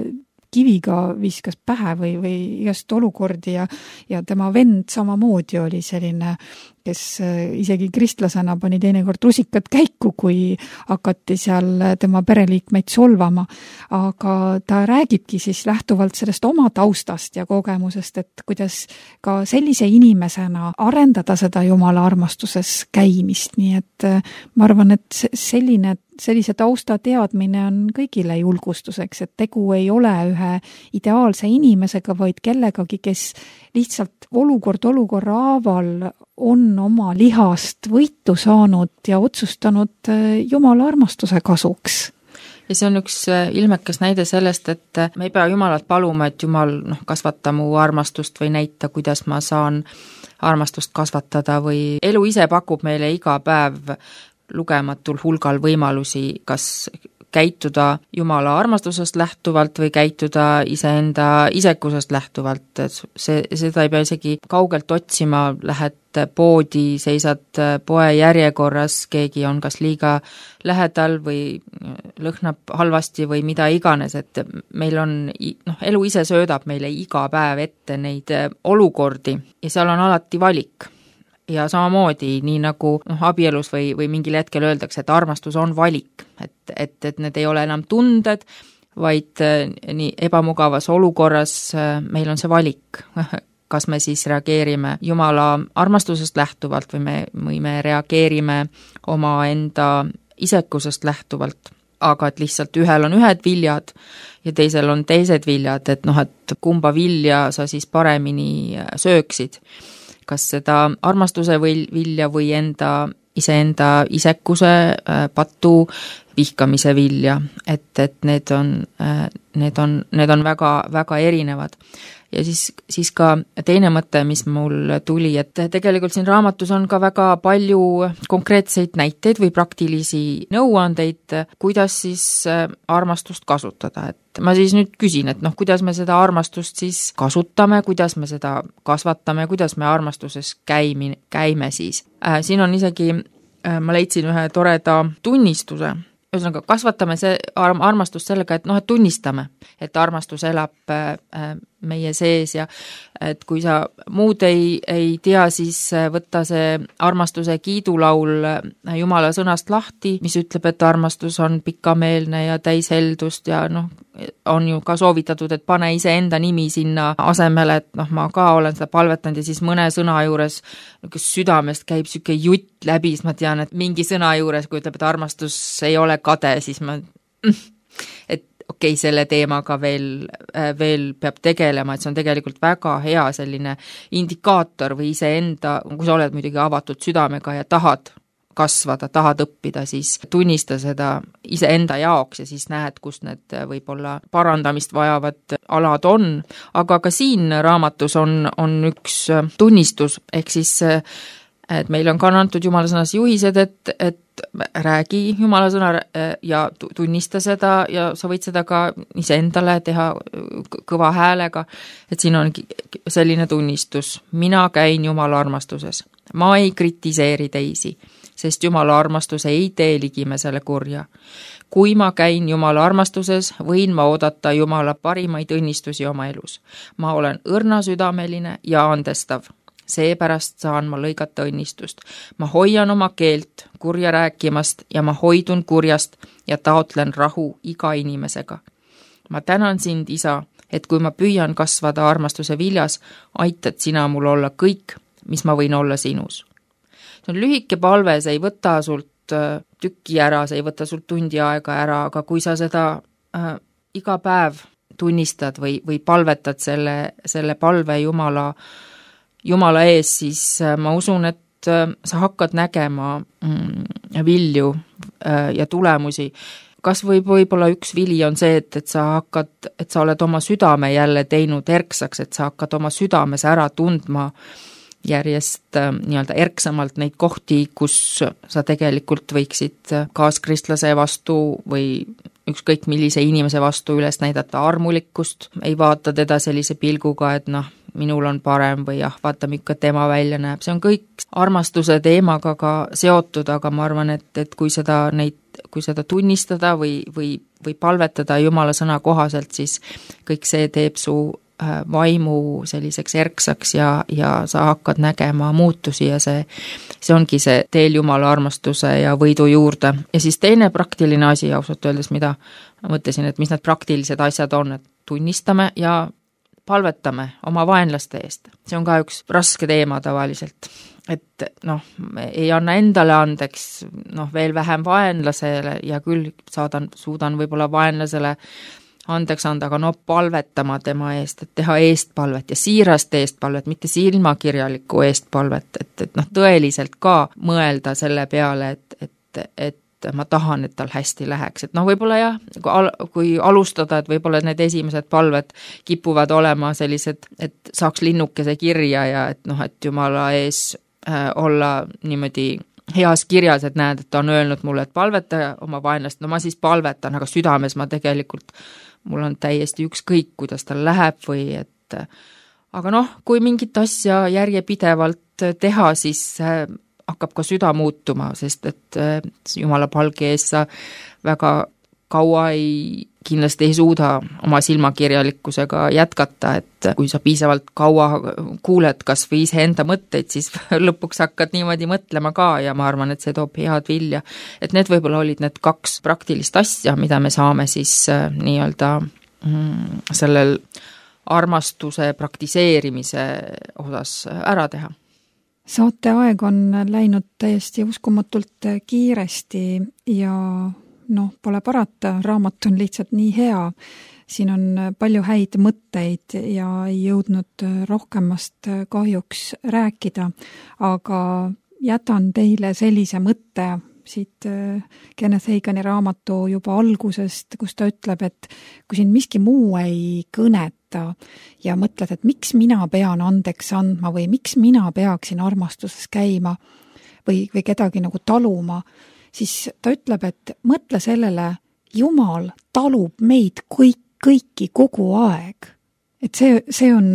kiviga viskas pähe või igast olukordi ja tema vend samamoodi oli selline, kes isegi kristlasena pani teinekord rusikad käiku, kui hakati seal tema pereliikmeid solvama. Aga ta räägibki siis lähtuvalt sellest oma taustast ja kogemusest, et kuidas ka sellise inimesena arendada seda Jumala armastuses käimist. Nii et ma arvan, et sellise tausta teadmine on kõigile julgustuseks, et tegu ei ole ühe ideaalse inimesega, vaid kellegagi, kes lihtsalt olukorra haaval on oma lihast võitu saanud ja otsustanud Jumala armastuse kasuks. Ja see on üks ilmekas näide sellest, et me ei pea Jumalat paluma, et Jumal kasvata mu armastust või näita, kuidas ma saan armastust kasvatada või elu ise pakub meile iga päev lugematul hulgal võimalusi, kas käituda Jumala armastusest lähtuvalt või käituda iseenda isekusest lähtuvalt. Seda ei pea isegi kaugelt otsima, lähed poodi, seisad poe järjekorras, keegi on kas liiga lähedal või lõhnab halvasti või mida iganes, et meil on, elu ise söödab meile iga päev ette neid olukordi ja seal on alati valik. Ja samamoodi, nii nagu abielus või mingil hetkel öeldakse, et armastus on valik, et need ei ole enam tunded, vaid nii ebamugavas olukorras meil on see valik, kas me siis reageerime Jumala armastusest lähtuvalt või me reageerime oma enda isekusest lähtuvalt. Aga et lihtsalt ühel on ühed viljad ja teisel on teised viljad, et kumba vilja sa siis paremini sööksid. Kas seda armastuse vilja või iseenda isekuse patu vihkamise vilja, et need on väga, väga erinevad. Ja siis ka teine mõte, mis mul tuli, et tegelikult siin raamatus on ka väga palju konkreetseid näiteid või praktilisi nõuandeid, kuidas siis armastust kasutada. Et ma siis nüüd küsin, et kuidas me seda armastust siis kasutame, kuidas me seda kasvatame, kuidas me armastuses käime siis. Siin on isegi, ma leidsin ühe toreda tunnistuse, ühesõnaga kasvatame see armastust sellega, et tunnistame, et armastus elab meie sees ja et kui sa muud ei tea, siis võtta see armastuse kiidulaul Jumala sõnast lahti, mis ütleb, et armastus on pikameelne ja täis heldust ja on ju ka soovitatud, et pane iseenda nimi sinna asemele, et ma ka olen seda palvetanud ja siis mõne sõna juures kes südamest käib siuke jutt läbi, siis ma tean, et mingi sõna juures, kui ütleb, et armastus ei ole kade, siis ma et okei, selle teemaga veel peab tegelema, et see on tegelikult väga hea selline indikaator või iseenda, kui sa oled muidugi avatud südamega ja tahad kasvada, tahad õppida, siis tunnista seda iseenda jaoks ja siis näed, kus need võib-olla parandamist vajavad alad on. Aga ka siin raamatus on üks tunnistus, ehk siis et meil on ka antud Jumala sõnas juhised, et räägi Jumala sõna ja tunnista seda ja sa võid seda ka iseendale teha kõva häälega, et siin on selline tunnistus. Mina käin Jumala armastuses. Ma ei kritiseeri teisi, sest Jumala armastus ei tee ligimesele kurja. Kui ma käin Jumala armastuses, võin ma oodata Jumala parimaid õnnistusi oma elus. Ma olen õrnasüdameline ja andestav. Seepärast saan ma lõigata õnnistust. Ma hoian oma keelt kurja rääkimast ja ma hoidun kurjast ja taotlen rahu iga inimesega. Ma tänan sind, Isa, et kui ma püüan kasvada armastuse viljas, aitad sina mul olla kõik, mis ma võin olla sinus. See on lühike palve, see ei võta sult tükki ära, see ei võta sult tundi aega ära, aga kui sa seda iga päev tunnistad või palvetad selle palve Jumala ees, siis ma usun, et sa hakkad nägema vilju ja tulemusi. Kas võib-olla üks vili on see, et sa oled oma südame jälle teinud erksaks, et sa hakkad oma südames ära tundma järjest nii-öelda erksamalt neid kohti, kus sa tegelikult võiksid kaaskristlase vastu või ükskõik millise inimese vastu üles näidata armulikkust, ei vaata teda sellise pilguga, et minul on parem või vaata, milline tema välja näeb. See on kõik armastuse teemaga ka seotud, aga ma arvan, et kui seda tunnistada või palvetada Jumala sõna kohaselt, siis kõik see teeb su vaimu selliseks erksaks ja sa hakkad nägema muutusi ja see ongi see teel Jumala armastuse ja võidu juurde. Ja siis teine praktiline asi, ausalt öeldes, mida ma mõtlesin, et mis need praktilised asjad on, et tunnistame ja palvetame oma vaenlaste eest. See on ka üks raske teema tavaliselt, et ei anna endale andeks, veel vähem vaenlasele ja küll suudan võib-olla vaenlasele andeks anda, aga palvetama tema eest, et teha eestpalvet ja siirast eestpalvet, mitte silmakirjalikku eestpalvet, et tõeliselt ka mõelda selle peale, et ma tahan, et tal hästi läheks. Et võib-olla jah, kui alustada, et võib-olla need esimesed palved kipuvad olema sellised, et saaks linnukese kirja ja et Jumala ees olla niimoodi heas kirjas, et näed, et ta on öelnud mulle, et palveta oma vaenlast, ma siis palvetan, aga südames ma tegelikult mul on täiesti ükskõik, kuidas tal läheb aga kui mingit asja järjepidevalt teha, siis hakkab ka süda muutuma, sest et Jumala palge ees sa väga kaua kindlasti ei suuda oma silmakirjalikkusega jätkata, et kui sa piisavalt kaua kuuled kas või iseenda mõtteid, siis lõpuks hakkad niimoodi mõtlema ka ja ma arvan, et see toob head vilja. Et need võib-olla olid need 2 praktilist asja, mida me saame siis nii-öelda sellel armastuse praktiseerimise osas ära teha. Saate aeg on läinud täiesti uskumatult kiiresti ja pole parata, raamat on lihtsalt nii hea. Siin on palju häid mõtteid ja ei jõudnud rohkemast kahjuks rääkida, aga jätan teile sellise mõtte siit Kenneth Hagini raamatu juba algusest, kus ta ütleb, et kui siin miski muu ei kõneta ja mõtled, et miks mina pean andeks andma või miks mina peaksin armastuses käima või kedagi taluma, siis ta ütleb, et mõtle sellele, Jumal talub meid kõiki kogu aeg. Et see on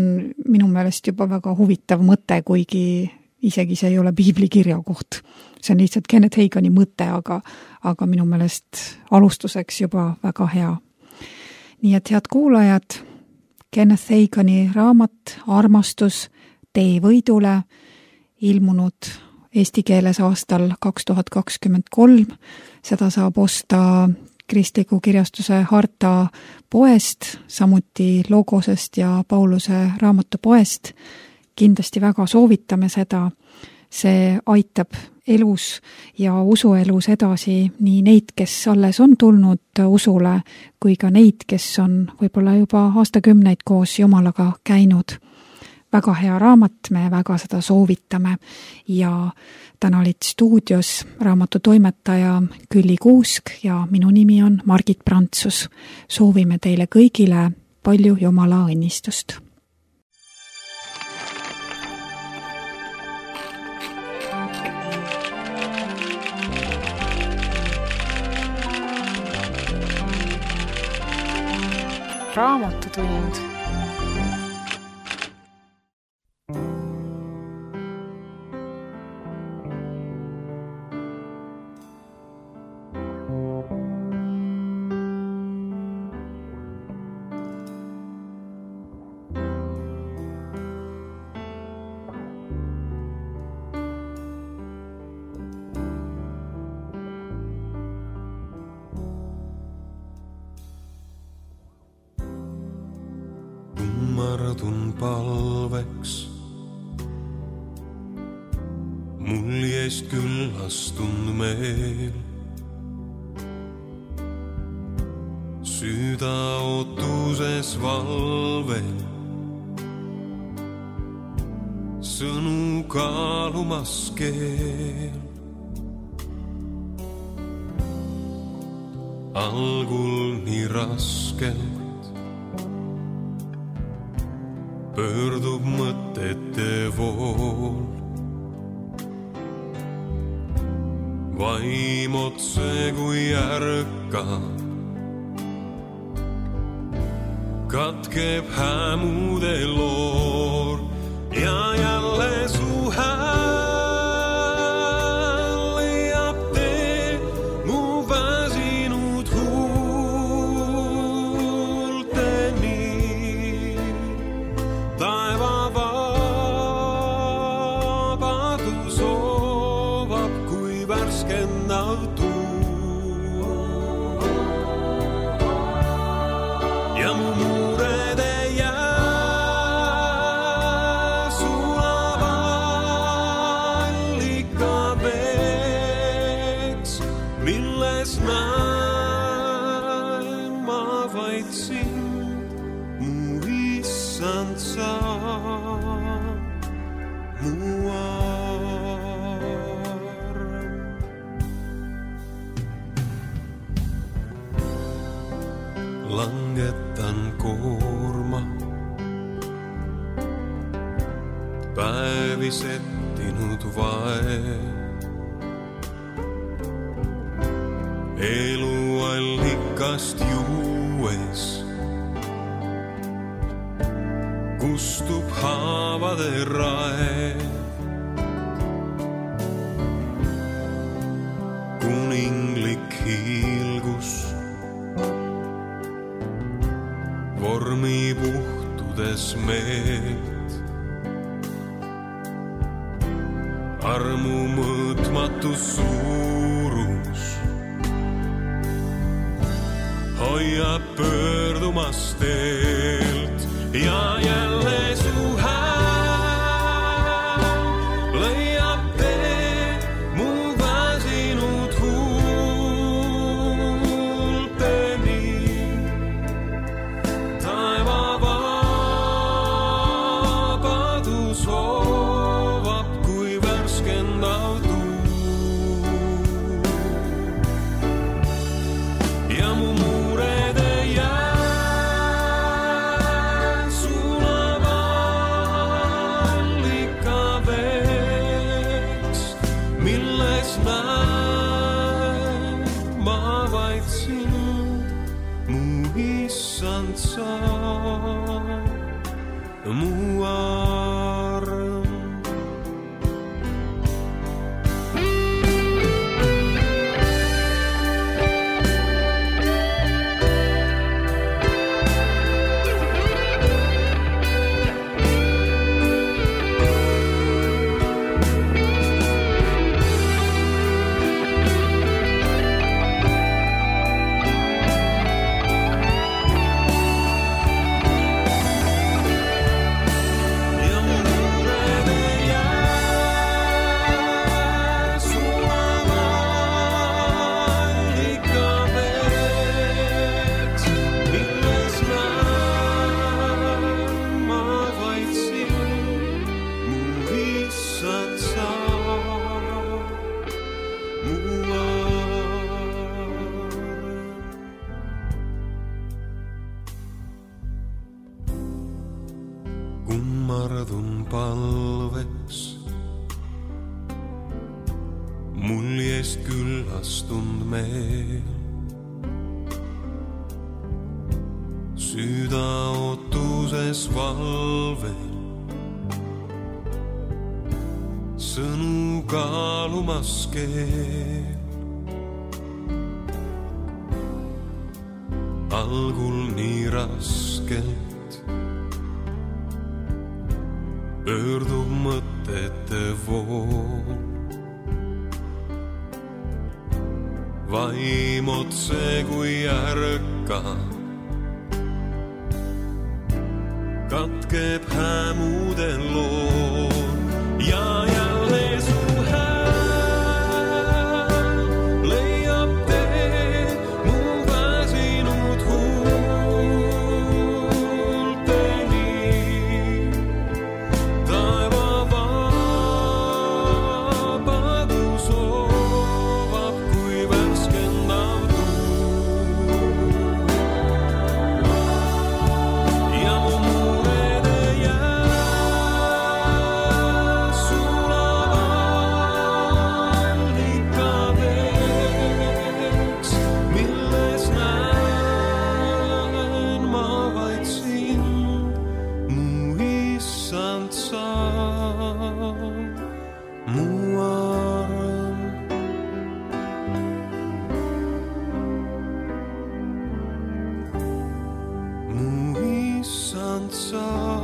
minu meelest juba väga huvitav mõte, kuigi isegi see ei ole piibli kirja koht. See on lihtsalt Kenneth Hagini mõte, aga minu meelest alustuseks juba väga hea. Nii et head kuulajad, Kenneth Hagini raamat Armastus tee võidule, ilmunud eesti keeles aastal 2023. Seda saab osta kristliku kirjastuse Harta poest, samuti Logosest ja Pauluse raamatupoest. Kindlasti väga soovitame seda. See aitab elus ja usuelus edasi nii neid, kes alles on tulnud usule, kui ka neid, kes on võib-olla juba aastakümneid koos Jumalaga käinud. Väga hea raamat, me väga seda soovitame ja täna olid stuudios raamatu toimetaja Külli Kuusk ja minu nimi on Margit Prantsus. Soovime teile kõigile palju Jumala õnnistust. Raamatutund. Kummardun palveks, mul jäist küllastund meel. Süda ootuses valvel, sõnu kaalumas keel. Algul nii raskelt pöördub mõtete vool. Vaim otse kui ärkab, katkeb hämude loor ja jälle su hääl leiab tee mu väsinud huulteni. Taeva vabadus soovab kui värskendav tuul ja mu muured ei jää sulava allika veeks, milles näen ma vaid sind, mu issand sa, mu arm. Langetan koorma, päevi settinud vaev. Eluallikast juues kustub haavade raev. Kuninglik hiilgus vormi puhtudes meelt. Armu mõõtmatu suurus hoiab pöördumas teelt ja jälle su hääl leiab tee mu väsinud huulteni. Taeva vabadus soovab kui värskendav tuul ja mu muured ei jää sulava allika veeks, milles näen ma vaid sind, mu issand sa, mu arm. Kummardun palveks, mul jäist küllastund meel. süda ootuses valvel, sõnu kaalumas keel. Algul nii raskelt pöördub mõtete vool, vaim otse kui ärka, katkeb hämude lool ja jälle su hääl leiab tee mu väsinud huulteni. Taeva vabadus soovab kui värskendav tuul ja mu murede jää sulavad allikadeks, milles näen ma vaid sind, mu issand sa, mu arm. Mu issand sa.